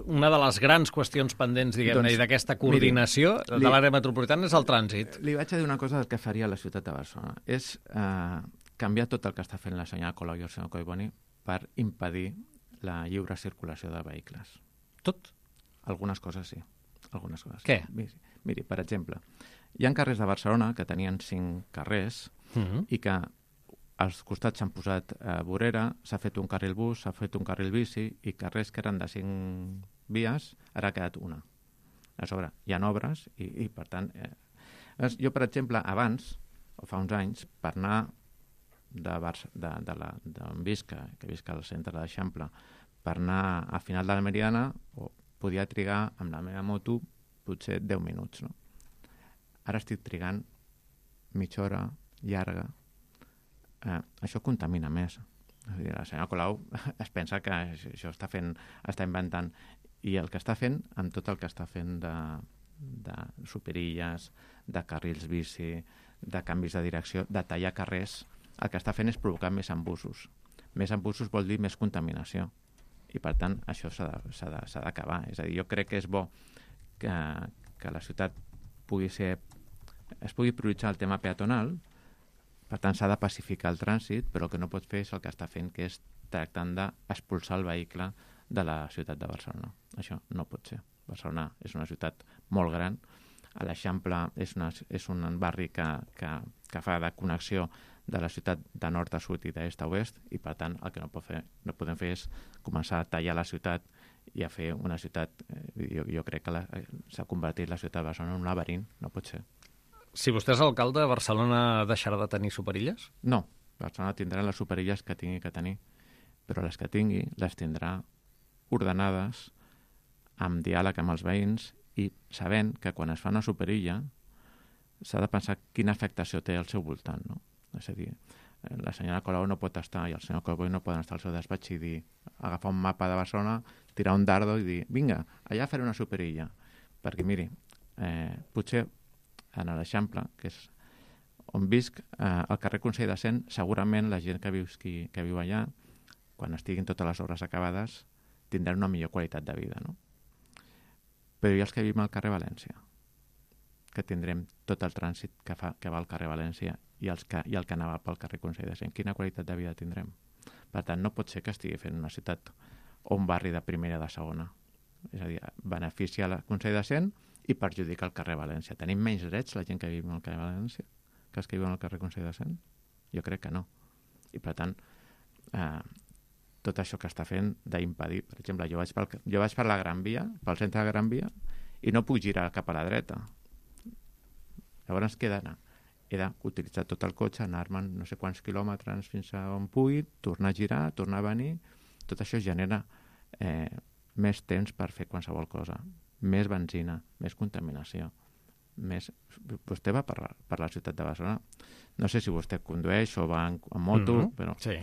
una de les grans qüestions pendents, diguem-ne, i d'aquesta coordinació de l'àrea metropolitana és el trànsit. Li vaig a dir una cosa del que faria la ciutat de Barcelona. És canviar tot el que està fent la senyora Colau i el senyor Collboni per impedir la lliure circulació de vehicles. Tot? Algunes coses sí. Algunes coses. Què? Miri, per exemple, hi ha carrers de Barcelona que tenien 5 carrers i que als costats s'han posat vorera, s'ha fet un carril bus, s'ha fet un carril bici i carrers que eren de 5 vies, ara ha quedat una. A sobre, hi ha obres i per tant... Jo, per exemple, abans, o fa uns anys, per anar d'on visc, que visc al centre de l'Eixample, per anar a final de la Meridiana, podia trigar amb la meva moto potser 10 minuts. No? Ara estic trigant mitja hora llarga. Això contamina més. La senyora Colau es pensa que això està inventant, i el que està fent, amb tot el que està fent de superilles, de carrils bici, de canvis de direcció, de tallar carrers, el que està fent és provocar més embussos. Més embussos vol dir més contaminació. I, per tant, això s'ha d'acabar. És a dir, jo crec que és bo que la ciutat es pugui prioritzar el tema peatonal. Per tant, s'ha de pacificar el trànsit, però el que no pot fer és el que està fent, que és tractant d'expulsar el vehicle de la ciutat de Barcelona. Això no pot ser. Barcelona és una ciutat molt gran. A l'Eixample és un barri que fa de connexió de la ciutat de nord a sud i d'est a oest, i per tant el que no podem fer és començar a tallar la ciutat i a fer una ciutat... Jo crec que s'ha convertit la ciutat de Barcelona en un laberint, no pot ser. Si vostè és alcalde, Barcelona deixarà de tenir superilles? No, Barcelona tindrà les superilles que tingui que tenir, però les que tingui les tindrà ordenades, amb diàleg amb els veïns i sabent que quan es fa una superilla s'ha de pensar quina afectació té al seu voltant, no? És a dir, la senyora Colau no pot estar i el senyor Cowboy no poden estar al seu despatx i dir, agafar un mapa de Barcelona, tirar un dardo i dir, vinga, allà faré una superilla. Perquè, miri, potser en l'Eixample, que és on visc, al carrer Consell de Cent, segurament la gent que viu allà, quan estiguin totes les obres acabades, tindran una millor qualitat de vida, no? Però i els que vivim al carrer València, que tindrem tot el trànsit que va al carrer València i el que anava pel carrer Consell de Cent, quina qualitat de vida tindrem? Per tant, no pot ser que estigui fent una ciutat o un barri de primera o de segona. És a dir, beneficia el Consell de Cent i perjudica el carrer València. Tenim menys drets la gent que vivim al carrer València que els que viuen al carrer Consell de Cent? Jo crec que no. I per tant, tot això que està fent d'impedir, per exemple, jo vaig per la Gran Via, pel centre de la Gran Via, i no puc girar cap a la dreta. Llavors què he d'anar? He d'utilitzar tot el cotxe, anar-me'n no sé quants quilòmetres fins a on pugui, tornar a girar, tornar a venir. Tot això genera més temps per fer qualsevol cosa, més benzina, més contaminació. Vostè va per la ciutat de Barcelona. No sé si vostè condueix o va en moto, però sí.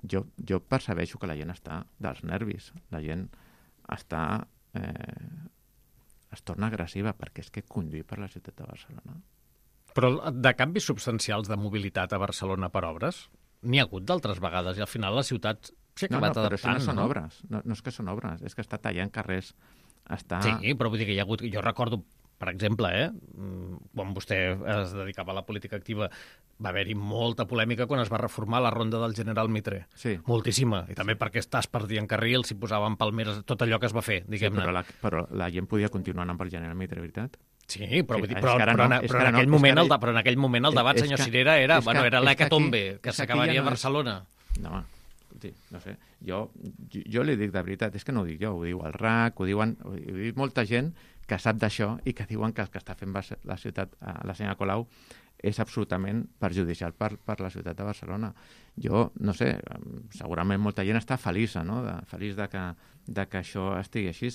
Jo percebeixo que la gent està dels nervis. La gent està... es torna agressiva perquè és que conduir per la ciutat de Barcelona. Però de canvis substancials de mobilitat a Barcelona per obres n'hi ha hagut d'altres vegades i al final la ciutat s'ha acabat adaptant. Però això no són obres. No és que són obres, és que està tallant carrers. Sí, però vull dir que hi ha hagut... Jo recordo, per exemple, quan vostè es dedicava a la política activa, va haver-hi molta polèmica quan es va reformar la ronda del General Mitre. Sí. Moltíssima. I també perquè es perdien carrils, s'hi posaven palmeres, tot allò que es va fer, diguem-ne. Sí, però la gent podia continuar anant pel General Mitre, veritat? Sí, però en aquell moment el debat, senyor Cirera, era l'hecatombe que s'acabaria a Barcelona. No, no sé, jo li dic de veritat, és que no ho dic jo, ho diu el RAC, ho diu molta gent que sap d'això i que diuen que el que està fent la ciutat, la senyora Colau, és absolutament perjudicial per la ciutat de Barcelona. Jo, no sé, segurament molta gent està feliç, no?, feliç de que això estigui així,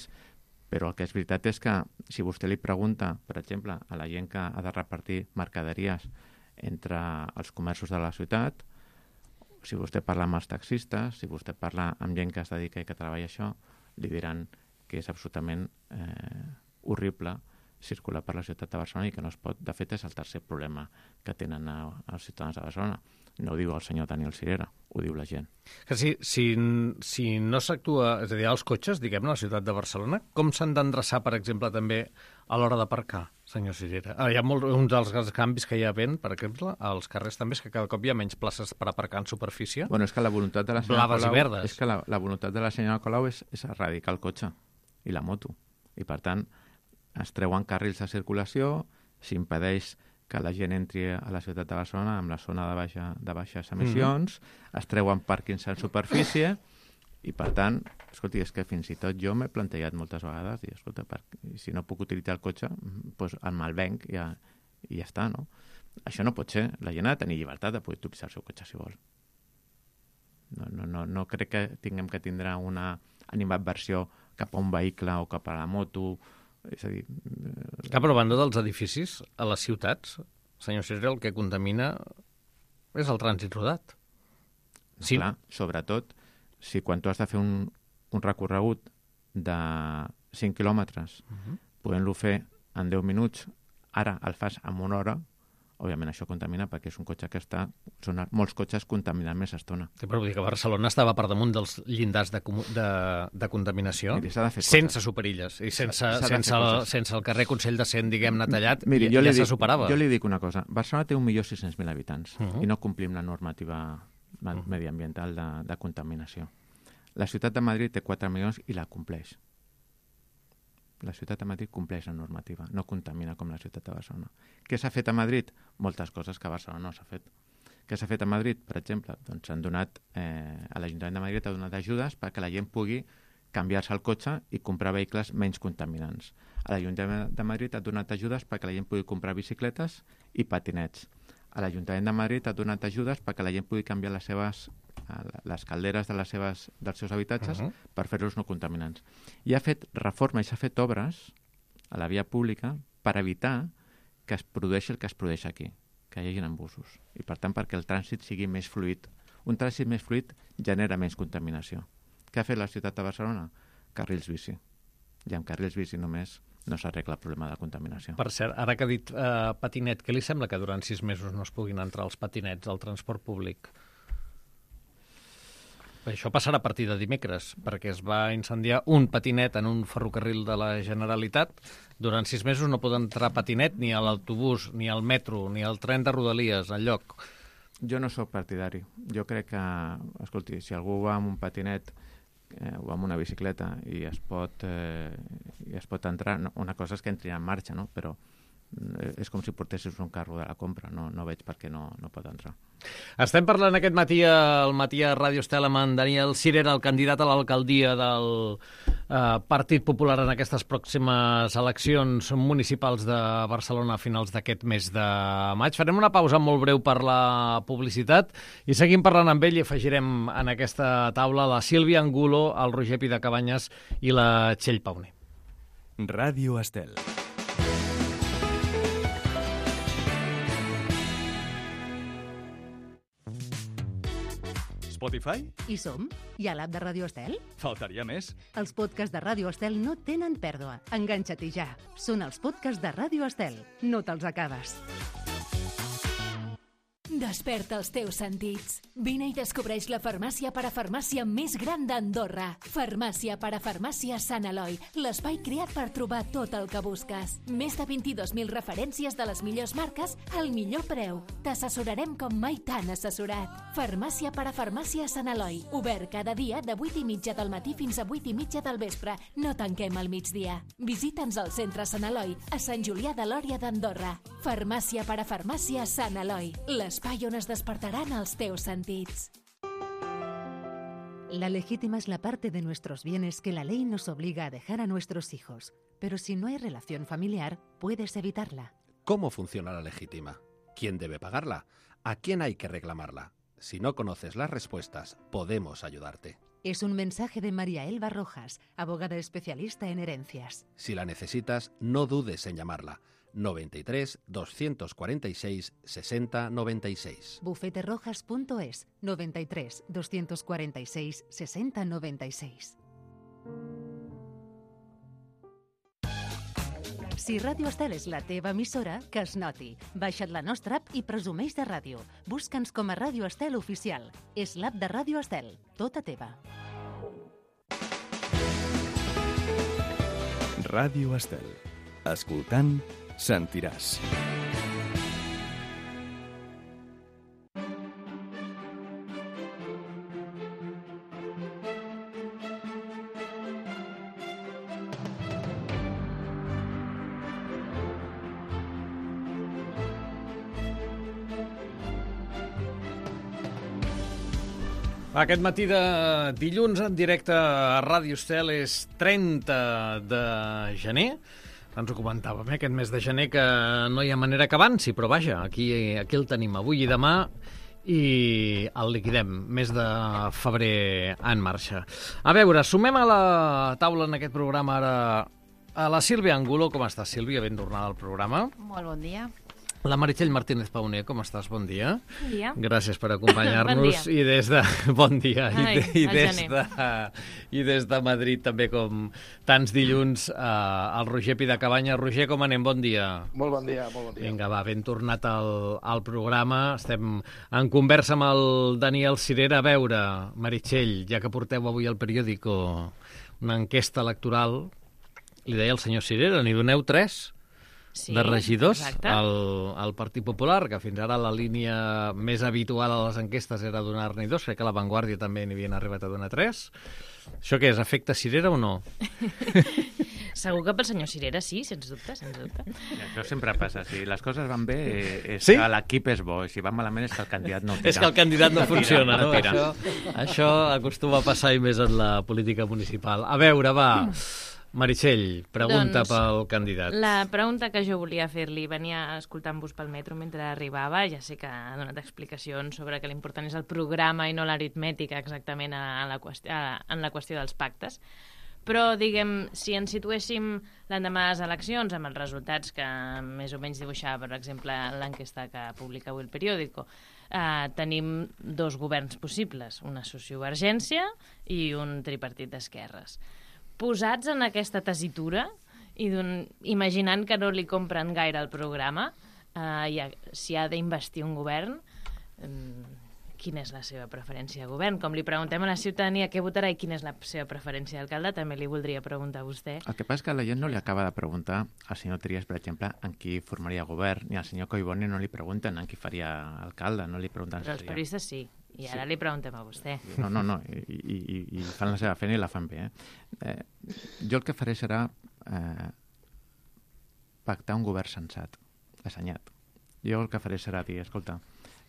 però el que és veritat és que si vostè li pregunta, per exemple, a la gent que ha de repartir mercaderies entre els comerços de la ciutat, si vostè parla amb els taxistes, si vostè parla amb gent que es dedica i que treballa això, li diran que és absolutament horrible circular per la ciutat de Barcelona i que no es pot. De fet, és el tercer problema que tenen els ciutadans de Barcelona. No ho diu el senyor Daniel Cirera, ho diu la gent. Que si no s'actua, és a dir, els cotxes, diguem-ne, a la ciutat de Barcelona, com s'han d'endreçar, per exemple, també a l'hora d'aparcar, senyor Cirera? Hi ha un dels canvis que hi ha havent, per exemple, als carrers també, és que cada cop hi ha menys places per aparcar en superfície. Bueno, és que la voluntat de la senyora blaves Colau, i verdes. És que la voluntat de la senyora Colau és erradicar el cotxe i la moto. I, per tant, es treuen carrils de circulació, s'impedeix que la gent entri a la ciutat de Barcelona amb la zona de baixes emissions, es treuen pàrquings en superfície i, per tant, escolti, és que fins i tot jo m'he plantejat moltes vegades, i escolta, si no puc utilitzar el cotxe, doncs el malvenc i ja està, no? Això no pot ser. La gent ha de tenir llibertat de poder utilitzar el seu cotxe si vol. No crec que tinguem que tindre una animadversió cap a un vehicle o cap a la moto. És a dir... Cap a la banda dels edificis a les ciutats, senyor Cirera, el que contamina és el trànsit rodat. Sí. Clar, sobretot si quan tu has de fer un recorregut de 5 quilòmetres, podent-lo fer en 10 minuts, ara el fas en 1 hora, òbviament això contamina perquè és un cotxe que són molts cotxes contaminant més estona. Sí, però vull dir que Barcelona estava per damunt dels llindars de contaminació. Miri, s'ha de fer sense superilles i sense el carrer Consell de Cent, diguem-ne, tallat. Miri, ja se superava. Jo li dic una cosa. Barcelona té 1.600.000 habitants i no complim la normativa mediambiental de contaminació. La ciutat de Madrid té 4 milions i la compleix. La ciutat de Madrid compleix la normativa, no contamina com la ciutat de Barcelona. Què s'ha fet a Madrid? Moltes coses que a Barcelona no s'ha fet. Què s'ha fet a Madrid, per exemple? Doncs s'han donat, a l'Ajuntament de Madrid ha donat ajudes perquè la gent pugui canviar-se el cotxe i comprar vehicles menys contaminants. A l'Ajuntament de Madrid ha donat ajudes perquè la gent pugui comprar bicicletes i patinets. A l'Ajuntament de Madrid ha donat ajudes perquè la gent pugui canviar les calderes dels seus habitatges per fer-los no contaminants. I ha fet reforma i s'ha fet obres a la via pública per evitar que es produeixi el que es produeix aquí, que hi hagi embussos. I per tant, perquè el trànsit sigui més fluid. Un trànsit més fluid genera menys contaminació. Què ha fet la ciutat de Barcelona? Carrils bici. I amb carrils bici només no s'arregla el problema de contaminació. Per cert, ara que ha dit patinet, què li sembla que durant 6 mesos no es puguin entrar els patinets al transport públic? Això passarà a partir de dimecres, perquè es va incendiar un patinet en un ferrocarril de la Generalitat. Durant 6 mesos no pot entrar patinet ni a l'autobús, ni al metro, ni al tren de Rodalies, enlloc. Jo no sóc partidari. Jo crec que, escolti, si algú va amb un patinet o amb una bicicleta i es pot entrar, una cosa és que entri en marxa, no? Però és com si portessis un carro de la compra, no veig per què no pot entrar. Estem parlant aquest matí al matí a Ràdio Estel amb en Daniel Sirera, el candidat a l'alcaldia del Partit Popular en aquestes pròximes eleccions municipals de Barcelona a finals d'aquest mes de maig. Farem una pausa molt breu per la publicitat i seguim parlant amb ell i afegirem en aquesta taula la Sílvia Angulo, el Roger Pidecabanyes i la Txell Pauner. Ràdio Estel. Spotify? Hi som? Hi ha l'app de Ràdio Estel? Faltaria més. Els podcasts de Ràdio Estel no tenen pèrdua. Enganxa-t'hi ja. Són els podcasts de Ràdio Estel. No te'ls acabes. Desperta els teus sentits. Vine i descobreix la farmàcia parafarmàcia més gran d'Andorra. Farmàcia parafarmàcia Sant Eloi, l'espai creat per trobar tot el que busques. Més de 22.000 referències de les millors marques al millor preu. T'assessorarem com mai t'han assessorat. Farmàcia parafarmàcia Sant Eloi, obert cada dia de 8:30 del matí fins a 8:30 del vespre. No tanquem al migdia. Visita'ns al centre Sant Eloi, a Sant Julià de Lòria d'Andorra. Farmàcia parafarmàcia Sant Eloi, l'espai on es despertaran els teus sentits. La legítima es la parte de nuestros bienes que la ley nos obliga a dejar a nuestros hijos. Pero si no hay relación familiar, puedes evitarla. ¿Cómo funciona la legítima? ¿Quién debe pagarla? ¿A quién hay que reclamarla? Si no conoces las respuestas, podemos ayudarte. Es un mensaje de María Elba Rojas, abogada especialista en herencias. Si la necesitas, no dudes en llamarla. 93 246 60 96. Bufeterojas.es 93 246 60 96. Si Ràdio Estel és la teva emissora, que es noti. Baixa't la nostra app i presumeix de ràdio. Busca'ns com a Ràdio Estel Oficial. És l'app de Ràdio Estel, tota teva. Ràdio Estel. Escoltant, sentiràs. Aquest matí de dilluns en directe a Ràdio Estel és 30 de gener. Ens ho comentàvem, aquest mes de gener, que no hi ha manera que avanci, però vaja, aquí el tenim avui i demà i el liquidem. Mes de febrer en marxa. A veure, sumem a la taula en aquest programa ara a la Sílvia Angulo. Com estàs, Sílvia? Ben tornada al programa. Molt bon dia. La Meritxell Martínez Pauner, com estàs? Bon dia. Bon dia. Gràcies per acompanyar-nos. Bon I des de... Bon dia. Ai, I des de Madrid, també, com tants dilluns, el Roger Pidecabanyes. Roger, com anem? Bon dia. Molt bon dia, molt bon dia. Vinga, va, ben tornat al programa. Estem en conversa amb el Daniel Sirera. A veure, Meritxell, ja que porteu avui al periòdico una enquesta electoral, li deia el senyor Sirera, n'hi doneu 3? de regidors al Partit Popular, que fins ara la línia més habitual a les enquestes era donar-ne 2, crec que a La Vanguardia també n'hi havien arribat a donar 3. Això què és, efecte cirera o no? Segur que pel senyor Cirera sí, sens dubte, sens dubte. Això sempre passa. Si les coses van bé, és Sí? que l'equip és bo. I si van malament, és que el candidat no tira. És que el candidat no funciona, no? tira. Això acostuma a passar i més en la política municipal. A veure, va, Meritxell, pregunta pel candidat. La pregunta que jo volia fer-li, venia escoltant-vos pel metro mentre arribava, ja sé que ha donat explicacions sobre que l'important és el programa i no l'aritmètica exactament en la qüestió dels pactes, però, diguem, si ens situéssim l'endemà de les eleccions amb els resultats que més o menys dibuixava, per exemple, l'enquesta que publica avui el periòdico, tenim 2 governs possibles, una sociovergència i un tripartit d'esquerres. Posats en aquesta tessitura i imaginant que no li compren gaire el programa, si ha d'investir un govern, quina és la seva preferència de govern? Com li preguntem a la ciutadania què votarà i quina és la seva preferència d'alcalde, també li voldria preguntar a vostè. El que passa és que la gent no li acaba de preguntar al senyor Trias, per exemple, en qui formaria govern, ni al senyor Collboni no li pregunten en qui faria alcalde, no li pregunten... Però els periodistes sí. I ara li preguntem a vostè. No, i fan la seva feina i la fan bé. Jo el que faré serà pactar un govern sensat, assenyat. Jo el que faré serà dir, escolta...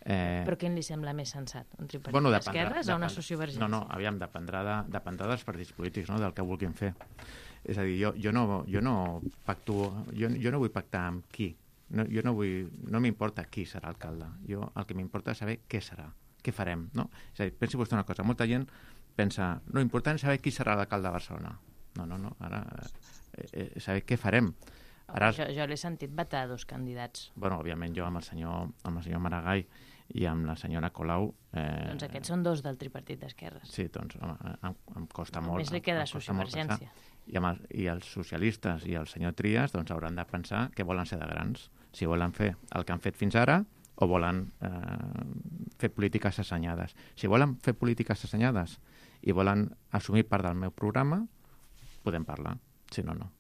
Però quin li sembla més sensat? Un tripartit d'esquerres o una sociovergència? No, aviam, dependrà dels partits polítics, no?, del que vulguin fer. És a dir, jo no pacto... Jo no vull pactar amb qui. No m'importa qui serà alcalde. El que m'importa és saber què serà. Què farem, no? És a dir, pensi vostè una cosa, molta gent pensa, no, important és saber qui serà l'alcalde de Barcelona. No, ara saber què farem. Ara... Jo l'he sentit vetar 2 candidats. Bueno, òbviament jo amb el senyor Maragall i amb la senyora Colau... Doncs aquests són 2 del tripartit d'esquerres. Sí, doncs em costa molt. Només li queda la sociovergència. I els socialistes i el senyor Trias doncs hauran de pensar que volen ser de grans. Si volen fer el que han fet fins ara o volen fer polítiques assenyades. Si volen fer polítiques assenyades i volen assumir part del meu programa, podem parlar. Si no, no.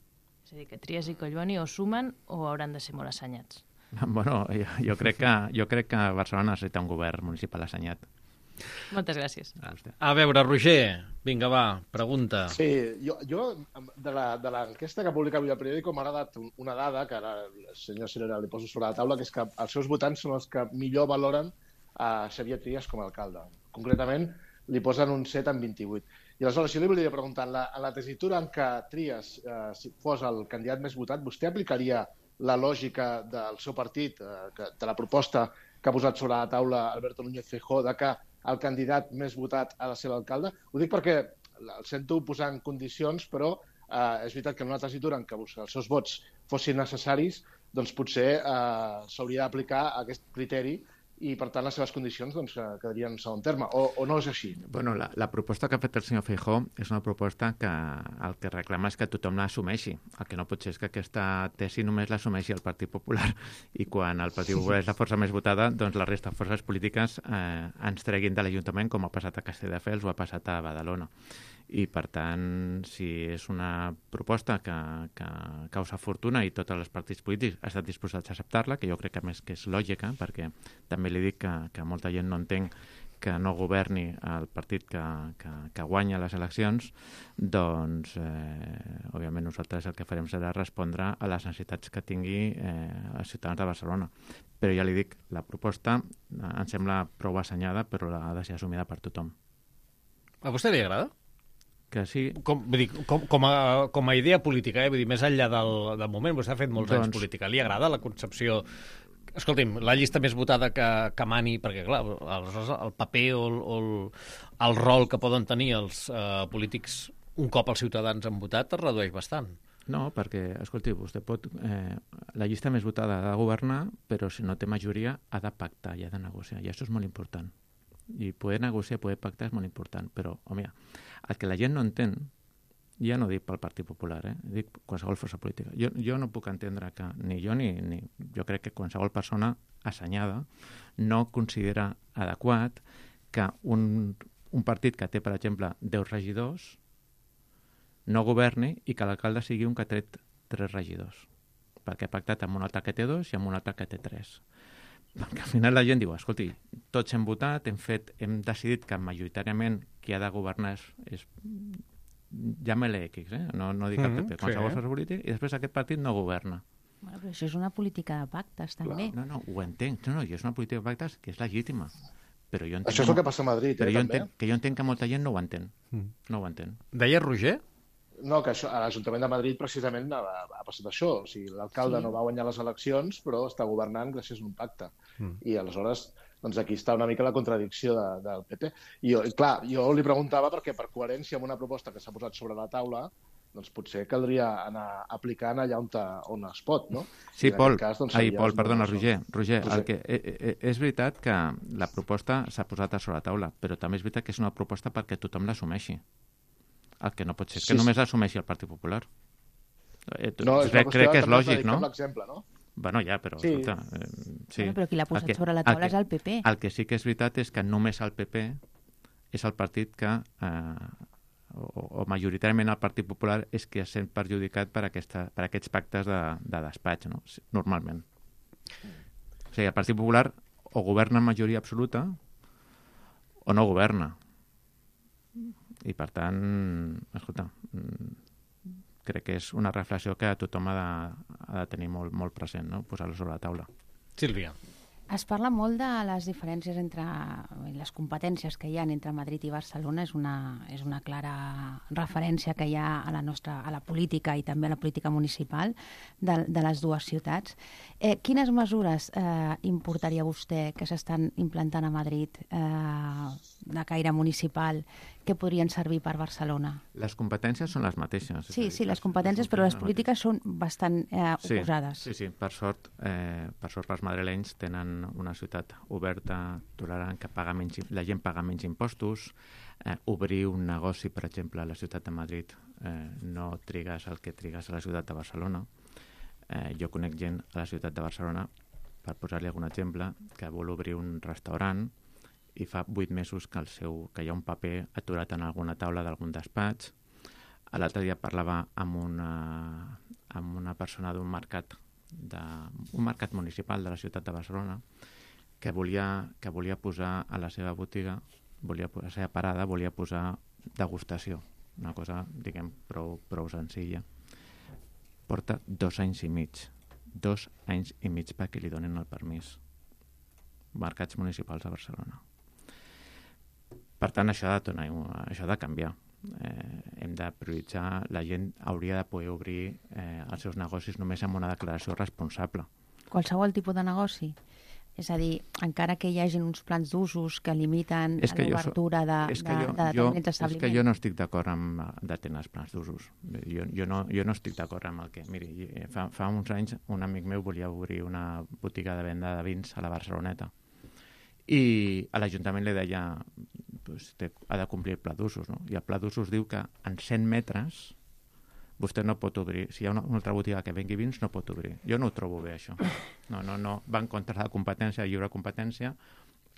És a dir, que Trias i Collboni o sumen o hauran de ser molt assenyats. Bueno, jo crec que Barcelona necessita un govern municipal assenyat. Moltes gràcies. A veure, Roger, vinga, va, pregunta. Sí, jo de l'enquesta que publica avui el periòdico m'ha agradat una dada que ara el senyor Cirera li poso sobre la taula, que és que els seus votants són els que millor valoren a Xavier Trias com a alcalde. Concretament, li posen un 7 en 28. I aleshores, jo li volia preguntar, en la tessitura en què Trias fos el candidat més votat, vostè aplicaria la lògica del seu partit, de la proposta que ha posat sobre la taula Alberto Núñez Feijóo, de que el candidat més votat ha de ser l'alcalde? Ho dic perquè el sento posar en condicions, però és veritat que en una tessitura en què els seus vots fossin necessaris, doncs potser s'hauria d'aplicar aquest criteri i, per tant, les seves condicions quedarien en segon terme. O no és així? Bueno, la proposta que ha fet el senyor Feijóo és una proposta que el que reclama és que tothom l'assumeixi. El que no pot ser és que aquesta tesi només l'assumeixi el Partit Popular i quan el Partit Popular és la força més votada, doncs la resta de forces polítiques ens treguin de l'Ajuntament, com ha passat a Castelldefels o ha passat a Badalona. I, per tant, si és una proposta que causa fortuna i tots els partits polítics estan disposats a acceptar-la, que jo crec que més que és lògica, perquè també li dic que molta gent no entenc que no governi el partit que guanya les eleccions, doncs, òbviament, nosaltres el que farem serà respondre a les necessitats que tingui els ciutadans de Barcelona. Però ja li dic, la proposta em sembla prou assenyada, però ha de ser assumida per tothom. A vostè li agrada? Que sí. Com a idea política, vull dir, més enllà del moment, vostè ha fet molts anys política. Li agrada la concepció... Escolti'm, la llista més votada que mani, perquè, clar, el paper o el rol que poden tenir els polítics un cop els ciutadans han votat es redueix bastant. No, perquè, escolti, vostè pot... la llista més votada ha de governar, però si no té majoria ha de pactar i ha de negociar, i això és molt important. I poder negociar, poder pactar és molt important, però, home, el que la gent no entén, ja no dic pel Partit Popular, dic qualsevol força política. Jo no puc entendre que ni jo ni jo crec que qualsevol persona assenyada no considera adequat que un partit que té, per exemple, 10 regidors no governi i que l'alcalde sigui un que ha tret 3 regidors. perquè he pactat amb un altre que té 2 i amb un altre que té 3. Perquè al final la gent diu, escolti, tots hem votat, hem decidit que majoritàriament qui ha de governar és llama-le X, no dic el PP, qualsevol força polític, i després aquest partit no governa. Bueno, però això és una política de pactes, també. No, ho entenc. No, és una política de pactes que és legítima. Però jo entenc això és el que passa a Madrid, també. Jo entenc que molta gent no ho entén. No ho entén. Deia Roger? No, que això, a l'Ajuntament de Madrid precisament ha passat això. O sigui, l'alcalde no va guanyar les eleccions, però està governant gràcies a un pacte. I aleshores, doncs aquí està una mica la contradicció del PP. I jo li preguntava perquè per coherència amb una proposta que s'ha posat sobre la taula, doncs potser caldria anar aplicant allà on es pot, no? Sí, Pol, perdona, Roger, és veritat que la proposta s'ha posat a sobre la taula, però també és veritat que és una proposta perquè tothom l'assumeixi. El que no pot ser és que només l'assumeixi el Partit Popular. Crec que és lògic, no? No? Bueno, ja, però... Sí. Però qui l'ha posat sobre la taula és el PP. El que sí que és veritat és que només el PP és el partit que... o majoritàriament el Partit Popular és que es sent perjudicat per aquests pactes de despatx, no? Normalment. O sigui, el Partit Popular o governa en majoria absoluta o no governa. I, per tant, escolta, crec que és una reflexió que tothom ha de tenir molt present, no? Posar-lo sobre la taula. Sílvia. Es parla molt de les diferències entre les competències que hi ha entre Madrid i Barcelona. És una clara referència que hi ha a la política i també a la política municipal de les dues ciutats. Quines mesures importaria vostè que s'estan implantant a Madrid de caire municipal que podrien servir per Barcelona? Les competències són les mateixes. Sí, les competències, però les polítiques són bastant oposades. Sí. Per sort els madrilenys tenen una ciutat oberta, tolerant, que la gent paga menys impostos. Obrir un negoci, per exemple, a la ciutat de Madrid no trigues el que trigues a la ciutat de Barcelona. Jo conec gent a la ciutat de Barcelona, per posar-li algun exemple, que vol obrir un restaurant i fa 8 mesos que hi ha un paper aturat en alguna taula d'algun despatx. L'altre dia parlava amb una persona d'un mercat municipal de la ciutat de Barcelona que volia posar a la seva botiga, a la seva parada, volia posar degustació, una cosa, diguem, prou senzilla. Porta 2 anys i mig. 2 anys i mig perquè li donin el permís. Mercats municipals de Barcelona. Per tant, això ha de canviar. Hem de prioritzar, la gent hauria de poder obrir els seus negocis només amb una declaració responsable. Qualsevol tipus de negoci? És a dir, encara que hi hagi uns plans d'usos que limiten l'obertura de determinats establiments. És que jo no estic d'acord amb detenir els plans d'usos. Jo no estic d'acord amb el que... Miri, fa uns anys un amic meu volia obrir una botiga de venda de vins a la Barceloneta i a l'Ajuntament li deia ha de complir el pla d'usos, no? I el pla d'usos diu que en 100 metres vostè no pot obrir. Si hi ha una altra botiga que vengui vins, no pot obrir. Jo no ho trobo bé, això. No. Va en contra de la competència, lliure competència,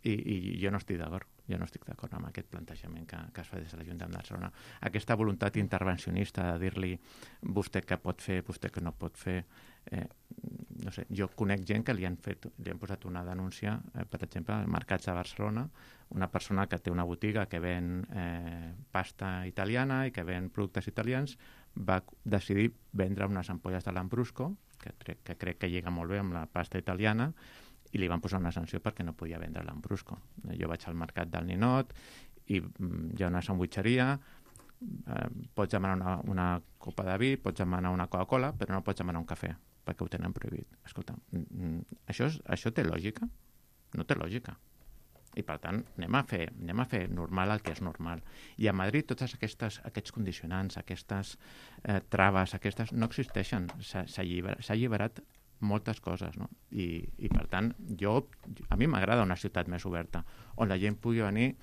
i jo no estic d'acord. Jo no estic d'acord amb aquest plantejament que es fa des de l'Ajuntament de Barcelona. Aquesta voluntat intervencionista de dir-li vostè què pot fer, vostè què no pot fer. No sé, jo conec gent que li han posat una denúncia, per exemple, als mercats de Barcelona, una persona que té una botiga que ven pasta italiana i que ven productes italians, va decidir vendre unes ampolles de Lambrusco, que crec que lliga molt bé amb la pasta italiana, i li van posar una sanció perquè no podia vendre Lambrusco. Jo vaig al mercat del Ninot i hi ha una sandwitxeria, pots demanar una copa de vi, pots demanar una Coca-Cola, però no pots demanar un cafè, perquè ho tenen prohibit. Escolta, això té lògica? No té lògica. I, per tant, anem a fer normal el que és normal. I a Madrid tots aquests condicionants, aquestes traves, no existeixen. S'ha alliberat moltes coses, no? I per tant, a mi m'agrada una ciutat més oberta, on la gent pugui venir,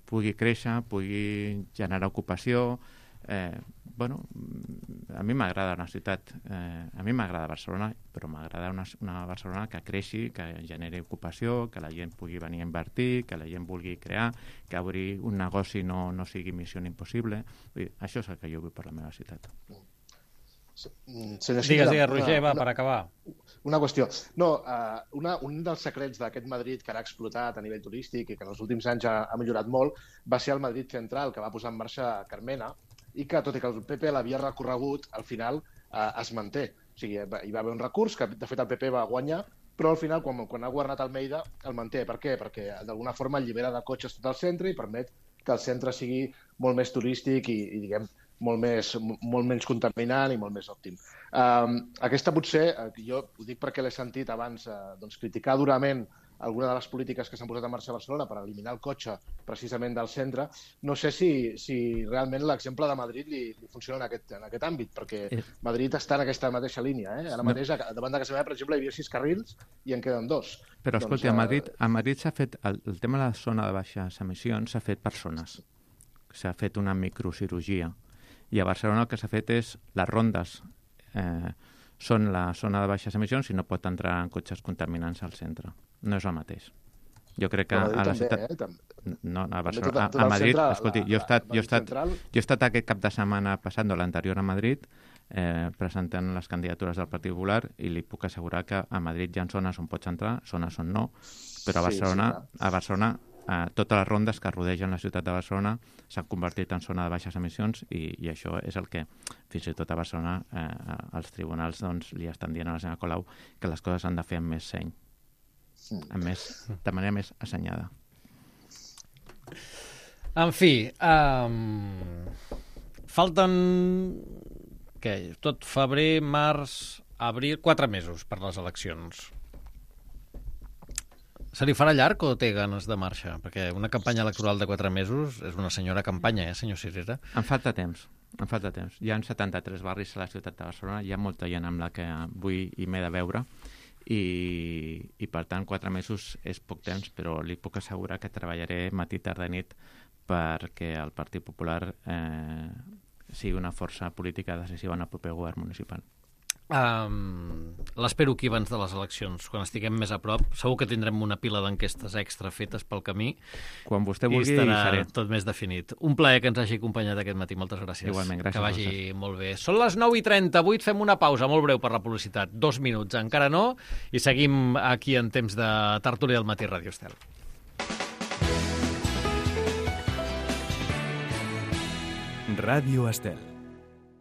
pugui créixer, pugui generar ocupació. A mi m'agrada una ciutat, a mi m'agrada Barcelona, però m'agrada una Barcelona que creixi, que generi ocupació, que la gent pugui venir a invertir, que la gent vulgui crear, que obrir un negoci no sigui missió impossible. Això és el que jo vull per la meva ciutat. Digues, Roger, va, per acabar. Una qüestió. No, un dels secrets d'aquest Madrid que ara ha explotat a nivell turístic i que en els últims anys ha millorat molt va ser el Madrid Central, que va posar en marxa Carmena, i que, tot i que el PP l'havia recorregut, al final es manté. O sigui, hi va haver un recurs que, de fet, el PP va guanyar, però al final, quan ha governat Almeida, el manté. Per què? Perquè, d'alguna forma, allibera de cotxes tot el centre i permet que el centre sigui molt més turístic i diguem, molt menys contaminant i molt més òptim. Aquesta potser, jo ho dic perquè l'he sentit abans, criticar durament alguna de les polítiques que s'han posat en marxa a Barcelona per eliminar el cotxe precisament del centre. No sé si realment l'exemple de Madrid li funciona en aquest àmbit, perquè Madrid està en aquesta mateixa línia. Ara mateix, davant de casa meva, per exemple, hi havia 6 carrils i en queden 2. Però, escolta, a Madrid s'ha fet, el tema de la zona de baixes emissions s'ha fet per zones. S'ha fet una microcirurgia. I a Barcelona el que s'ha fet és les rondes són la zona de baixes emissions i no pot entrar en cotxes contaminants al centre. No és el mateix. Jo crec que a la ciutat... No, a Barcelona, a Madrid, escolti, jo he estat aquest cap de setmana passat, l'anterior a Madrid, presentant les candidatures del Partit Popular i li puc assegurar que a Madrid hi ha zones on pots entrar, zones on no, però a Barcelona totes les rondes que rodegen la ciutat de Barcelona s'han convertit en zona de baixes emissions i això és el que, fins i tot a Barcelona, els tribunals li estan dient a la senyora Colau que les coses s'han de fer amb més seny, de manera més assenyada. En fi, falten tot febrer, març, abril, 4 mesos per les eleccions. Se li farà llarg o té ganes de marxa? Perquè una campanya electoral de 4 mesos és una senyora campanya, senyor Cirera? Em falta temps. Hi ha 73 barris a la ciutat de Barcelona, hi ha molta gent amb la que vull i m'he de veure i per tant 4 mesos és poc temps, però li puc assegurar que treballaré matí, tarda i nit perquè el Partit Popular sigui una força política decisiva en el proper govern municipal. L'espero aquí abans de les eleccions, quan estiguem més a prop. Segur que tindrem una pila d'enquestes extra fetes pel camí. Quan vostè vulgui, i estarà tot més definit. Un plaer que ens hagi acompanyat aquest matí. Moltes gràcies. Igualment, gràcies. Que vagi molt bé. Són les 9:38, fem una pausa molt breu per la publicitat. 2 minuts, encara no, i seguim aquí en temps de tertúlia del matí Ràdio Estel. Ràdio Estel.